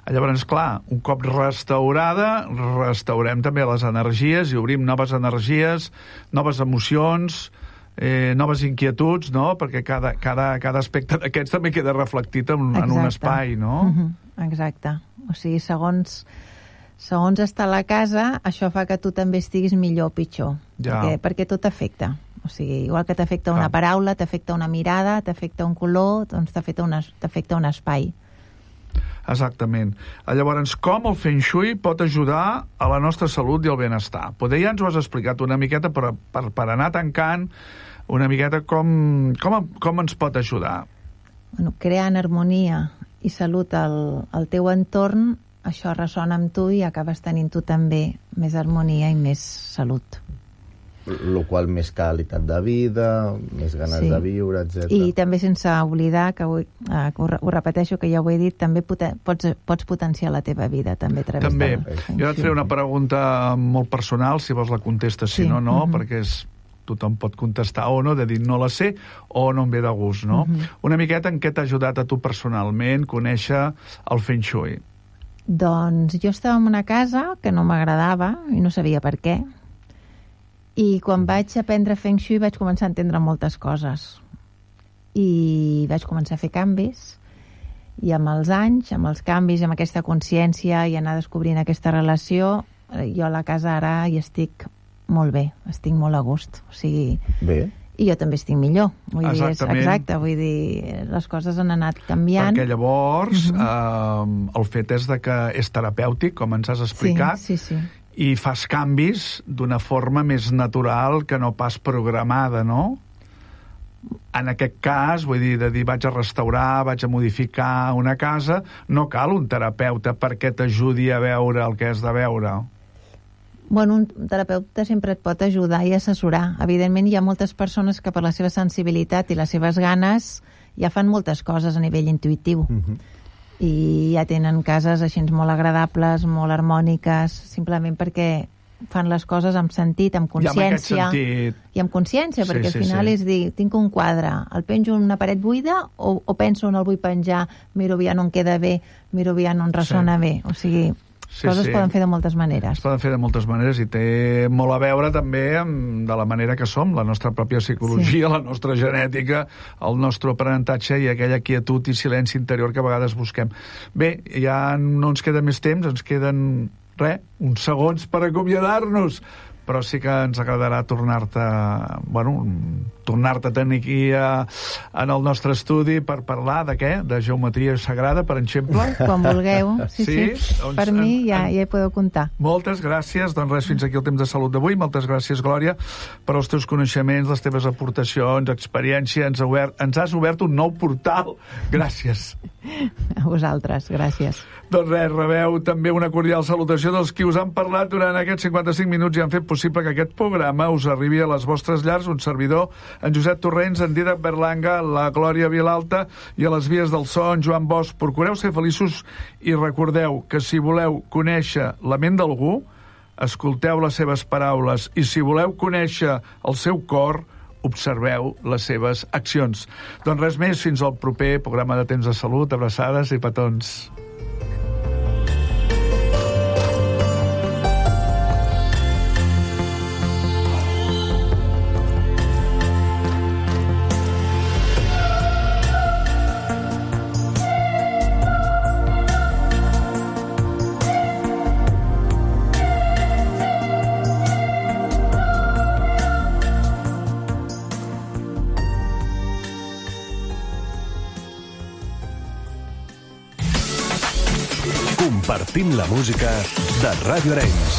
Llavors, clar, un cop restaurada, restaurem també les energies i obrim noves energies, noves emocions, eh, noves inquietuds, no? Perquè cada, cada, cada aspecte d'aquests també queda reflectit en, en un espai, no? Uh-huh. Exacte. O sigui, segons, segons està a la casa, això fa que tu també estiguis millor o pitjor. Ja. Perquè, perquè tot afecta. O sigui, igual que t'afecta una paraula, t'afecta una mirada, t'afecta un color, doncs t'afecta un, t'afecta un espai. Exactament. Llavors, com el Feng Shui pot ajudar a la nostra salut i el benestar? Poder ja ens ho has explicat una miqueta, però per, per anar tancant una miqueta com, com, com ens pot ajudar? Bueno, creant harmonia i salut al, al teu entorn, això ressona amb tu i acabes tenint tu també més harmonia i més salut. Lo qual més qualitat de vida, més ganes Sí. de viure, etcètera. I també sense oblidar, que, avui, eh, que ho, re- ho repeteixo, que ja ho he dit, també poten, pots, pots potenciar la teva vida, també a través També. del Feng Jo et Shui. faré una pregunta molt personal, si vols la contestes, si Sí. no, no, Mhm. perquè és, tothom pot contestar o no, de dir no la sé o no em ve de gust, no? Mhm. Una miqueta en què t'ha ajudat a tu personalment conèixer el Feng Shui? Doncs jo estava en una casa que no m'agradava i no sabia per què. I quan vaig aprendre Feng Shui vaig començar a entendre moltes coses. I vaig començar a fer canvis. I amb els anys, amb els canvis, amb aquesta consciència i anar descobrint aquesta relació, eh, jo a la casa ara hi estic molt bé, estic molt a gust. O sigui, Bé. i jo també estic millor. Vull dir, és, Exactament. exacte, vull dir, les coses han anat canviant. Perquè llavors Mhm. eh, el fet és de que és terapèutic, com ens has explicat, Sí, sí, sí. i fas canvis d'una forma més natural que no pas programada, no? En aquest cas, vull dir, de dir vaig a restaurar, vaig a modificar una casa, no cal un terapeuta perquè t'ajudi a veure el que has de veure. Bueno, un terapeuta sempre et pot ajudar i assessorar. Evidentment, hi ha moltes persones que per la seva sensibilitat i les seves ganes ja fan moltes coses a nivell intuïtiu. Uh-huh. I ja tenen cases així molt agradables, molt harmòniques, simplement perquè fan les coses amb sentit, amb I amb aquest consciència. sentit... I amb consciència, Sí, perquè sí, al final sí. és dir, tinc un quadre, el penjo en una paret buida o, o penso on el vull penjar, miro aviam on queda bé, miro aviam on ressona Sí. bé. O sigui, Sí, coses sí. es poden fer de moltes maneres. Es poden fer de moltes maneres i té molt a veure també amb de la manera que som, la nostra pròpia psicologia, sí. la nostra genètica, el nostre aprenentatge i aquella quietud i silenci interior que a vegades busquem. Bé, ja no ens queda més temps, ens queden, res, uns segons per acomiadar-nos, però sí que ens agradarà tornar-te, bueno, tornar-te a tenir aquí a, en el nostre estudi per parlar de què? De geometria sagrada, per exemple? Quan vulgueu. Sí, sí. sí. Doncs, per mi ja, en, ja hi podeu comptar. Moltes gràcies. Doncs res, fins aquí el temps de salut d'avui. Moltes gràcies, Glòria, per els teus coneixements, les teves aportacions, experiència. Ens, obert, ens has obert un nou portal. Gràcies. A vosaltres, gràcies. Doncs res, rebeu també una cordial salutació dels qui us han parlat durant aquests cinquanta-cinc minuts i han fet possible que aquest programa us arribi a les vostres llars. Un servidor, en Josep Torrents, en Dídac Berlanga, la Glòria Vilalta i a les vies del so, en Joan Bosch. Procureu ser feliços i recordeu que si voleu conèixer la ment d'algú, escolteu les seves paraules i si voleu conèixer el seu cor, observeu les seves accions. Doncs res més, fins al proper programa de Temps de Salut. Abraçades i petons. Compartim la música de Ràdio Arenys.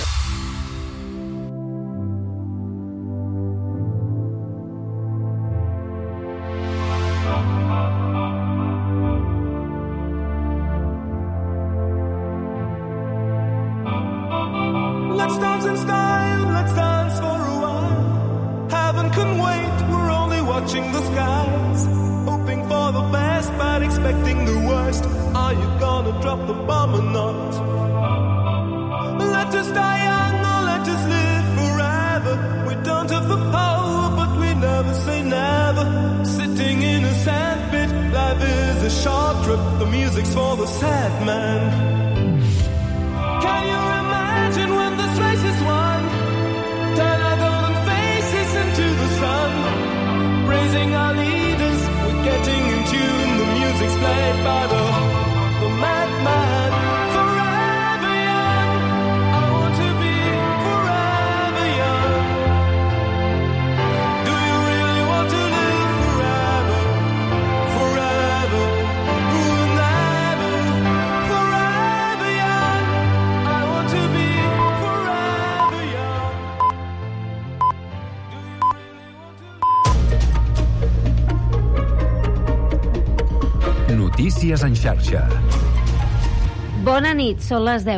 Let's dance in style, let's dance for a while. Heaven can wait, we're only watching the skies. Hoping for the best, but expecting the worst. Are you gonna drop the bomb or not? Let us die young or let us live forever. We don't have the power, but we never say never. Sitting in a sandpit, life is a short trip. The music's for the sad man. Can you imagine when this race is won? Turn our golden faces into the sun. Praising our leaders, we're getting in tune. The music's played by the, the madman. Forever young, I want to be forever young. Do you really want to live forever? Forever, forever, forever young. I want to be forever young. Do you really want to live? Notícies en xarxa. Bona nit, són les deu.